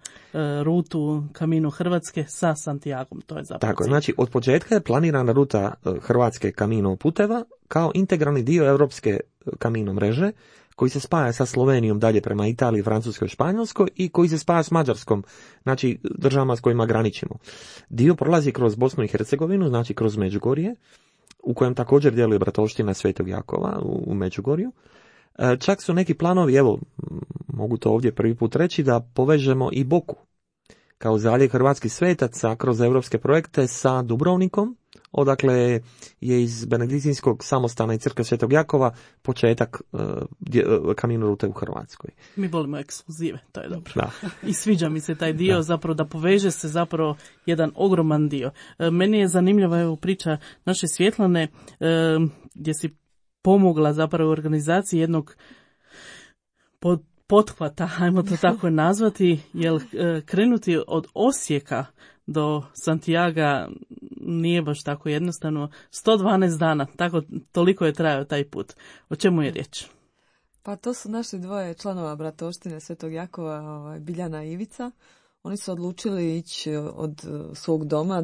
rutu Camino Hrvatske sa Santiagom. To je zapravo tako, znači od početka je planirana ruta Hrvatske Camino puteva kao integralni dio europske Camino mreže koji se spaja sa Slovenijom dalje prema Italiji, Francuskoj i Španjolskoj i koji se spaja s Mađarskom, znači državama s kojima graničimo. Dio prolazi kroz Bosnu i Hercegovinu, znači kroz Međugorje, u kojem također djeluje bratovština Svetog Jakova u Međugorju. Čak su neki planovi, evo, mogu to ovdje prvi put reći, da povežemo i Boku kao zaljev hrvatskih svetaca kroz europske projekte sa Dubrovnikom, odakle je iz Benediktinskog samostana i crkve Svetog Jakova početak Camino rute u Hrvatskoj. Mi volimo ekskluzive, to je dobro. Da. I sviđa mi se taj dio, zapravo da poveže se zapravo jedan ogroman dio. Meni je zanimljiva evo priča naše Svjetlane, gdje si pomogla zapravo u organizaciji jednog pothvata, ajmo to tako nazvati, jer krenuti od Osijeka do Santiaga nije baš tako jednostavno. 112 dana, toliko je trajao taj put. O čemu je riječ? Pa to su naši dvoje članova bratovštine Svetog Jakova, Biljana i Ivica. Oni su odlučili ići od svog doma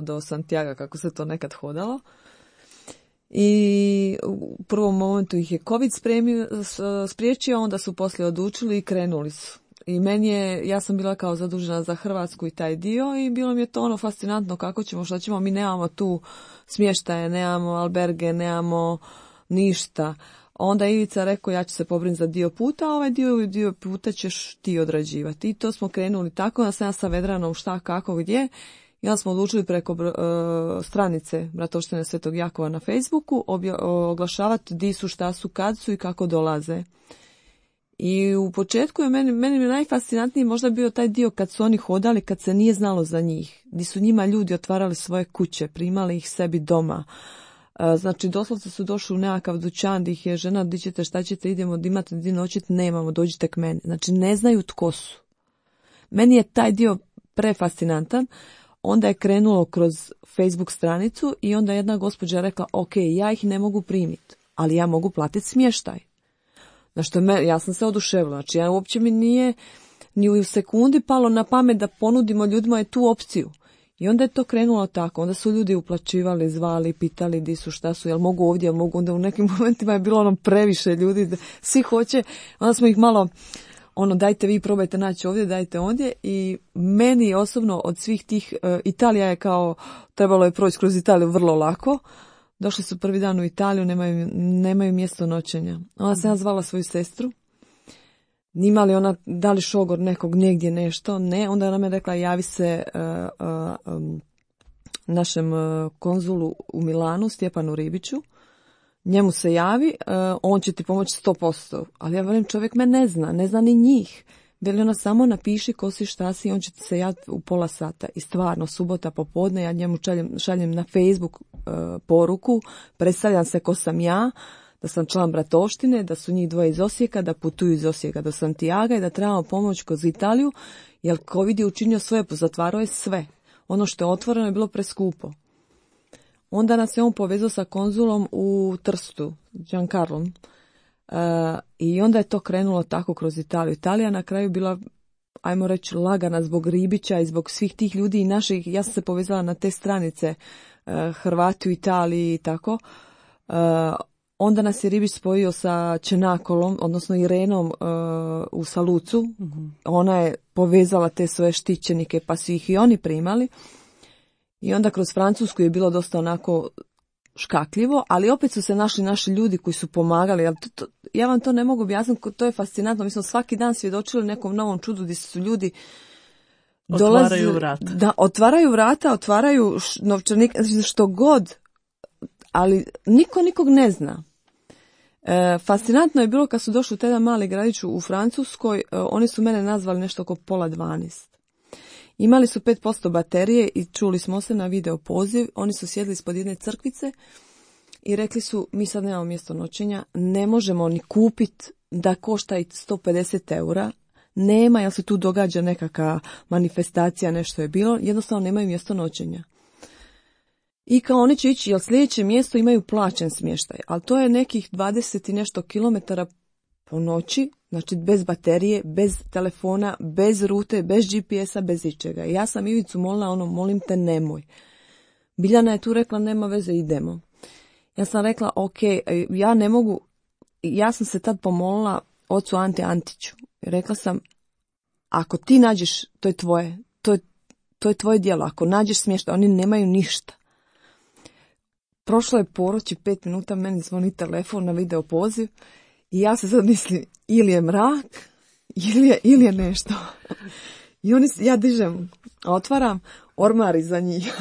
do Santiaga, kako se to nekad hodalo. I u prvom momentu ih je COVID spriječio, onda su poslije odlučili i krenuli su. I ja sam bila kao zadužena za Hrvatsku i taj dio i bilo mi je to fascinantno kako ćemo, što ćemo, mi nemamo tu smještaje, nemamo alberge, nemamo ništa. Onda je Ivica rekao ja ću se pobrinuti za dio puta, a ovaj dio puta ćeš ti odrađivati. I to smo krenuli tako, da sam ja sa Vedranom šta, kako, gdje. I onda smo odlučili preko stranice Bratovštine Svetog Jakova na Facebooku oglašavati di su, šta su, kad su i kako dolaze. I u početku je meni najfascinantniji možda bio taj dio kad su oni hodali, kad se nije znalo za njih. Di su njima ljudi otvarali svoje kuće, primali ih sebi doma. Znači doslovce su došli u nekakav dućan gdje ih je žena, di ćete, šta ćete, idemo, di imate di noćiti, nemamo, dođite k meni. Znači ne znaju tko su. Meni je taj dio prefascinantan. Onda je krenulo kroz Facebook stranicu i onda jedna gospođa rekla, ok, ja ih ne mogu primiti, ali ja mogu platiti smještaj. Znači, ja sam se oduševila, znači ja uopće mi nije ni u sekundi palo na pamet da ponudimo ljudima tu opciju. I onda je to krenulo tako, onda su ljudi uplaćivali, zvali, pitali di su, šta su, jel mogu ovdje, jel mogu, onda u nekim momentima je bilo previše ljudi, svi hoće, onda smo ih malo, dajte vi probajte naći ovdje, dajte ondje i meni osobno od svih tih, Italija je kao, trebalo je proći kroz Italiju vrlo lako, došli su prvi dan u Italiju, nemaju mjesto noćenja. Onda sam ja zvala svoju sestru, nima li ona, da li šogor nekog negdje nešto, ne, onda ona me rekla javi se našem konzulu u Milanu, Stjepanu Ribiću, njemu se javi, on će ti pomoći 100%, ali ja velim čovjek me ne zna ni njih. Veli ona samo napiši ko si, šta si, on će ti se javiti u pola sata. I stvarno, subota popodne, ja njemu šaljem na Facebook poruku, predstavljam se ko sam ja, da sam član bratovštine, da su njih dvoje iz Osijeka, da putuju iz Osijeka do Santiaga i da trebamo pomoć kroz Italiju, jer COVID je učinio svoje, pozatvarao je sve. Ono što je otvoreno je bilo preskupo. Onda nas je on povezao sa konzulom u Trstu, Giancarlom, i onda je to krenulo tako kroz Italiju. Italija na kraju bila ajmo reći, lagana zbog ribića i zbog svih tih ljudi i naših. Ja sam se povezala na te stranice Hrvati u Italiji i tako. Onda nas je ribić spojio sa Čenakolom, odnosno Irenom u Salucu. Ona je povezala te svoje štićenike, pa su ih i oni primali. I onda kroz Francusku je bilo dosta onako škakljivo, ali opet su se našli naši ljudi koji su pomagali. Ja vam to ne mogu objasniti, to je fascinantno. Mi smo svaki dan svjedočili nekom novom čudu gdje su ljudi otvaraju vrata. Da, otvaraju vrata, otvaraju novčanik, što god, ali niko nikog ne zna. Fascinantno je bilo kad su došli u taj mali gradić u Francuskoj, oni su mene nazvali nešto oko 11:30. Imali su 5% baterije i čuli smo se na video poziv. Oni su sjedli ispod jedne crkvice i rekli su, mi sad nemamo mjesto noćenja, ne možemo ni kupiti da košta i 150 eura. Nema, jer se tu događa nekakva manifestacija, nešto je bilo, jednostavno nemaju mjesto noćenja. I kao oni će ići, jer sljedeće mjesto imaju plaćen smještaj, ali to je nekih 20 i nešto kilometara po noći, znači bez baterije, bez telefona, bez rute, bez GPS-a, bez ičega. I ja sam Ivicu molila, molim te nemoj. Biljana je tu rekla, nema veze, idemo. Ja sam rekla, ok, ja ne mogu, ja sam se tad pomolila ocu Ante Antiću. Rekla sam, ako ti nađeš, to je tvoje, to je tvoje djelo, ako nađeš smještaj, oni nemaju ništa. Prošlo je poroć i 5 minuta, meni zvoni telefon na video poziv i ja se sad mislim, ili je mrak, ili je nešto. I ja dižem, otvaram, ormar iza njih.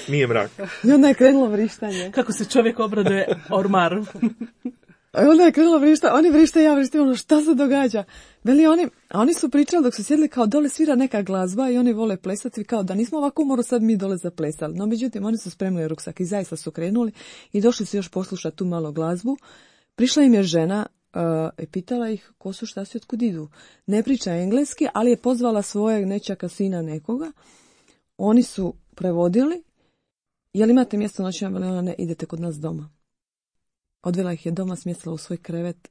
Nije mrak. I onda je krenulo vrištanje. Kako se čovjek obraduje ormaru. A onda je krenulo vrištanje, oni vrište, ja vrištim, šta se događa? Veli oni su pričali dok su sjedili kao dole svira neka glazba i oni vole plesati, kao da nismo ovako umoro sad mi dole zaplesali. No međutim, oni su spremili ruksak i zaista su krenuli i došli su još poslušati tu malo glazbu. Prišla im je žena i pitala ih ko su, šta su, otkud idu. Ne priča engleski, ali je pozvala svojeg nečaka sina nekoga. Oni su prevodili. Jel imate mjesto noćenja? Veli ona, ne, idete kod nas doma. Odvela ih je doma, smjestila u svoj krevet,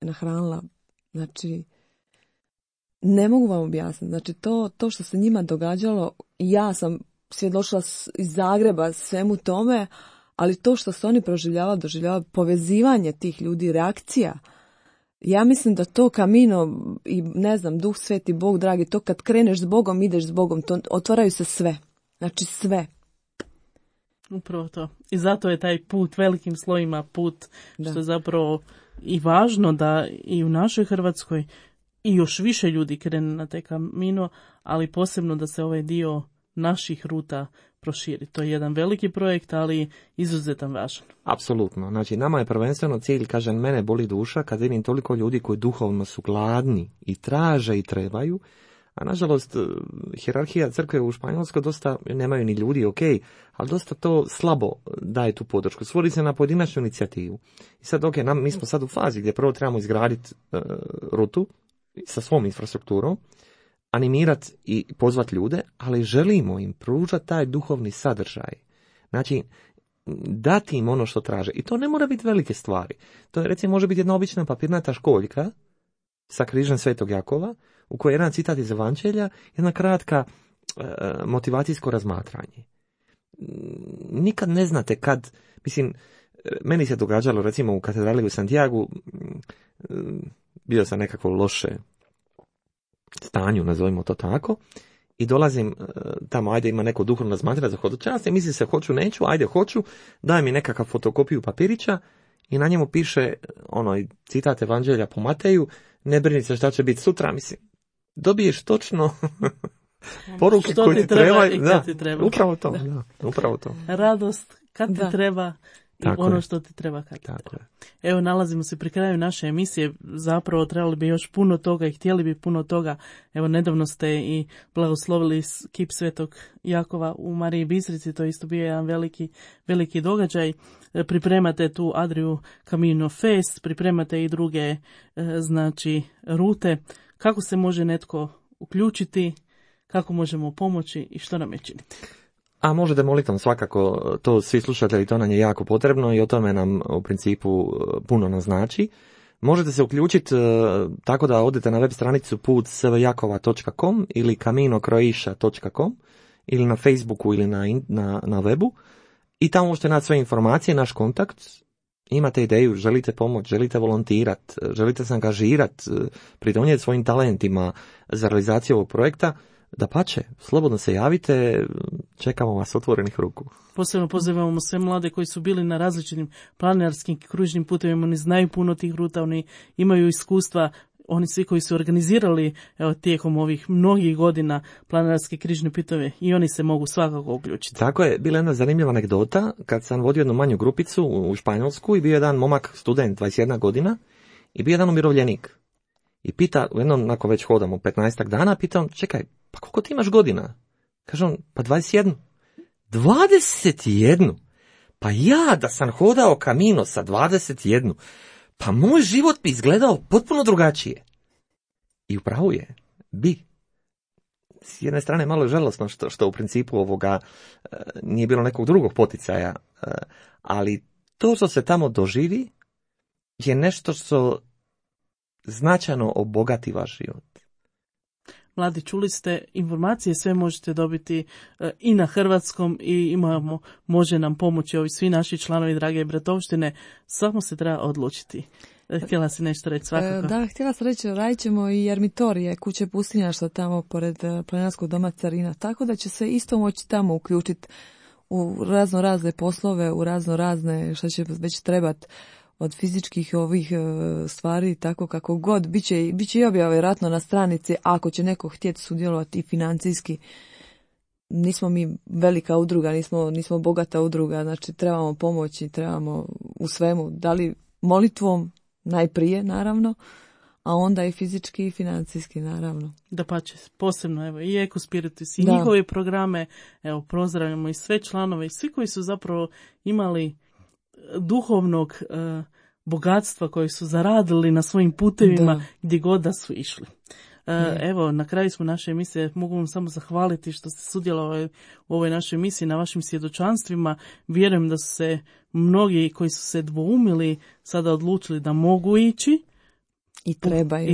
nahranila. Znači, ne mogu vam objasniti. Znači, to što se njima događalo, ja sam svjedočila iz Zagreba svemu tome, ali to što su oni doživljavali povezivanje tih ljudi, reakcija. Ja mislim da to Camino i ne znam, Duh Sveti, Bog dragi, to kad kreneš s Bogom, ideš s Bogom, to otvaraju se sve. Znači sve. Upravo to. I zato je taj put velikim slojima put, što je zapravo i važno da i u našoj Hrvatskoj i još više ljudi krene na taj Camino, ali posebno da se ovaj dio naših ruta proširi. To je jedan veliki projekt, ali izuzetan važan. Apsolutno. Znači, nama je prvenstveno cilj, kažem, mene boli duša kad vidim toliko ljudi koji duhovno su gladni i traže i trebaju, a nažalost, hijerarhija crkve u Španjolskoj dosta, nemaju ni ljudi, ok, ali dosta to slabo daje tu podršku. Svodi se na pojedinačnu inicijativu. I sad, ok, mi smo sad u fazi gdje prvo trebamo izgraditi rutu sa svom infrastrukturom, animirati i pozvati ljude, ali želimo im pružati taj duhovni sadržaj. Znači, dati im ono što traže. I to ne mora biti velike stvari. To je, recimo, može biti jedna obična papirnata školjka sa križem Svetog Jakova, u kojoj je jedan citat iz Evanđelja, jedna kratka motivacijsko razmatranje. Nikad ne znate kad, mislim, meni se događalo, recimo, u katedrali u Santiagu, bio sam nekako loše stanju, nazovimo to tako, i dolazim tamo, ajde, ima neko duhovno razmatranje za hodočaste, mislim se hoću, neću, ajde hoću, daj mi nekakav fotokopiju papirića i na njemu piše citat Evanđelja po Mateju, ne brini se šta će biti sutra, mislim, dobiješ točno poruke koje ti treba i kad ti treba. Upravo to, da, upravo to. Radost kad ti treba i tako ono što ti treba kad ti treba. Evo, nalazimo se pri kraju naše emisije, zapravo trebali bi još puno toga i htjeli bi puno toga. Evo, nedavno ste i blagoslovili kip Svetog Jakova u Mariji Bistrici, to je isto bio jedan veliki događaj. Pripremate tu Adriu Camino Fest, pripremate i druge rute. Kako se može netko uključiti, kako možemo pomoći i što nam je činiti? A možete molitvom svakako, to svi slušatelji, to nam je jako potrebno i o tome nam u principu puno naznači. Možete se uključiti tako da odete na web stranicu put.svjakova.com ili kaminocroatia.com ili na Facebooku ili na webu i tamo možete naći sve informacije, naš kontakt. Imate ideju, želite pomoć, želite volontirati, želite se angažirati, pridonijeti svojim talentima za realizaciju ovog projekta, dapače, slobodno se javite, čekamo vas otvorenih ruku. Posebno pozivamo sve mlade koji su bili na različitim planinarskim kružnim putevima, oni znaju puno tih ruta, oni imaju iskustva, oni svi koji su organizirali tijekom ovih mnogih godina planinarske križne puteve i oni se mogu svakako uključiti. Tako je, bila jedna zanimljiva anegdota kad sam vodio jednu manju grupicu u Španjolsku i bio jedan momak, student, 21 godina i bio jedan umirovljenik. I pita, jednom, nakon već hodamo 15 dana, pitam, čekaj, pa koliko ti imaš godina? Kaže on, pa 21. 21? Pa ja da sam hodao Camino sa 21, pa moj život bi izgledao potpuno drugačije. I upravo je, bi. S jedne strane malo je žalosno što u principu ovoga nije bilo nekog drugog poticaja, ali to što se tamo doživi je nešto što značajno obogati vaš život. Mladi, čuli ste, informacije sve možete dobiti i na hrvatskom i može nam pomoći ovi svi naši članovi Drage bratovštine, samo se treba odlučiti. Htjela si nešto reći svakako? Da, htjela sam reći, radit ćemo i ermitorije, kuće pustinjaštva tamo pored planinarskog doma Carina, tako da će se isto moći tamo uključiti u razne poslove, u razne što će već trebati od fizičkih ovih stvari, tako kako god. Biće i objava vjerojatno na stranici, ako će neko htjeti sudjelovati i financijski. Nismo mi velika udruga, nismo bogata udruga, znači trebamo pomoći, trebamo u svemu, da li molitvom najprije naravno, a onda i fizički i financijski naravno. Dapače, posebno evo i Eko Spiritus i njihove programe, evo pozdravljamo i sve članove i svi koji su zapravo imali duhovnog bogatstva koji su zaradili na svojim putevima gdje god da su išli. Evo, na kraju smo naše emisije, mogu vam samo zahvaliti što ste sudjelovali u ovoj našoj emisiji, na vašim svjedočanstvima. Vjerujem da su se mnogi koji su se dvoumili sada odlučili da mogu ići i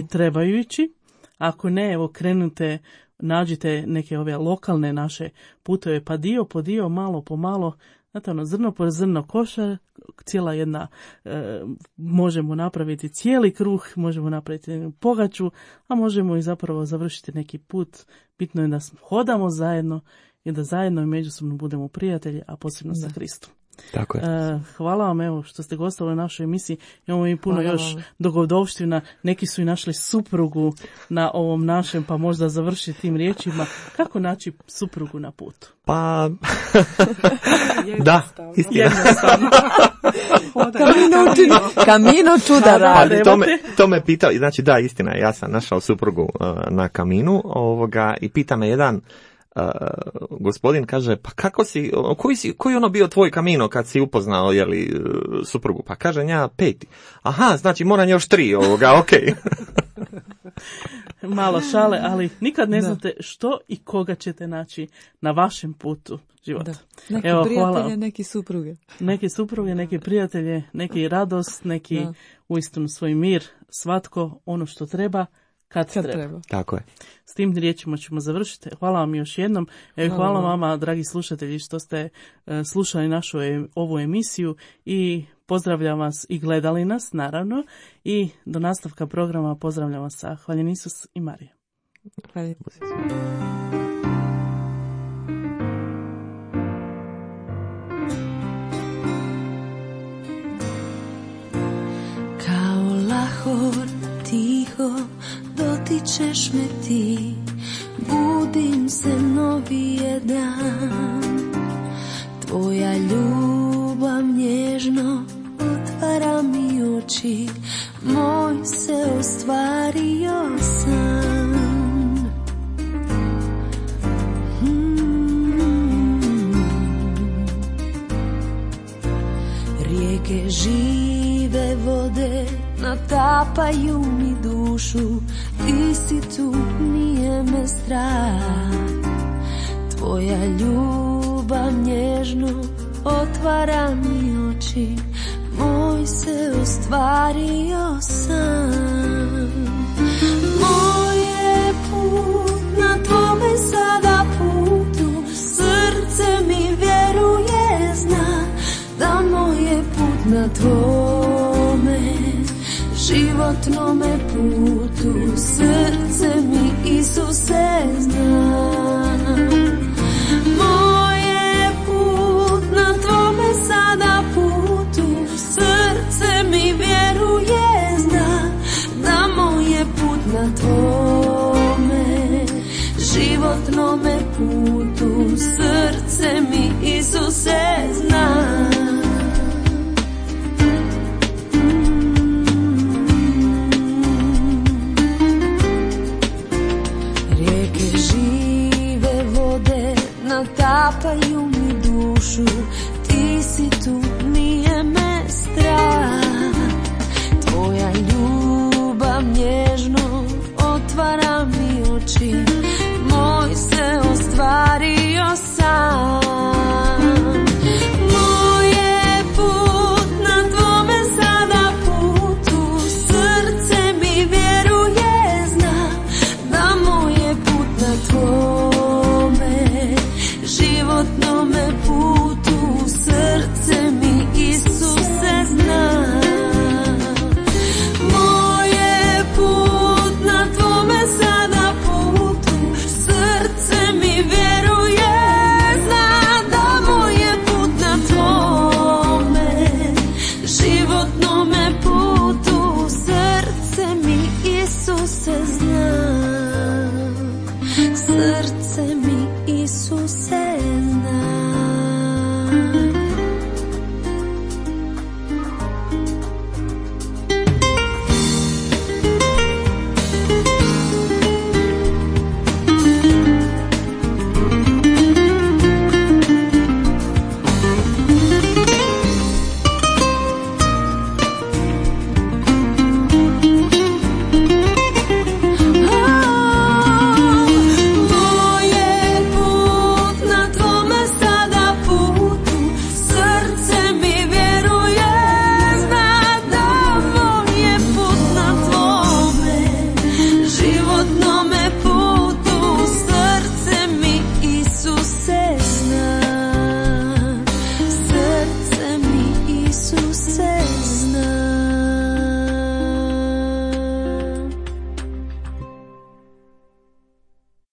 trebaju ići. Ako ne, evo krenute, nađite neke ove lokalne naše puteve, pa dio po dio, malo po malo, znate, zrno po zrno košar, cijela jedna, možemo napraviti cijeli kruh, možemo napraviti jednu pogaču, a možemo i zapravo završiti neki put. Bitno je da hodamo zajedno i da zajedno i međusobno budemo prijatelji, a posebno sa Kristom. Tako je. Hvala vam evo što ste gostovali u našoj emisiji. Imamo i puno još dogodovština. Neki su i našli suprugu na ovom našem, pa možda završiti tim riječima. Kako naći suprugu na putu? Pa, da, istina. Camino čuda radi. To me pitao, znači da, istina, ja sam našao suprugu na Caminu i pita me jedan gospodin, kaže, pa kako si, koji ono bio tvoj Camino kad si upoznao, suprugu? Pa kaže, ja 5. Aha, znači moram još 3 okej. Malo šale, ali nikad ne znate što i koga ćete naći na vašem putu života. Neki prijatelje, neki supruge. Neki supruge, neki prijatelje, neki radost, neki uistinu svoj mir, svatko ono što treba, kad treba. Tako je. S tim riječima ćemo završiti. Hvala vam još jednom. Hvala vama, dragi slušatelji, što ste slušali našu ovu emisiju i pozdravljam vas i gledali nas, naravno. I do nastavka programa pozdravljam vas sa Hvaljen Isus i Marija. Hvala. Kao lahor tiho dotičeš me ti, budim se novi je dan. Tvoja ljubav nježno otvara mi oči, moj se ostvario san. Rijeke žive vode natapaju mi dušu, ti si tu, nije me strah. Tvoja ljubav nježno otvara mi oči, moj se ostvario sam. Moj je put na tvome sada putu, srce mi vjeruje, zna da moj je put na tvome životnome putu, srce mi Isuse zna. Moj je put na tvome sada putu, srce mi vjeruje, zna da moj je put na tvome životnome putu, srce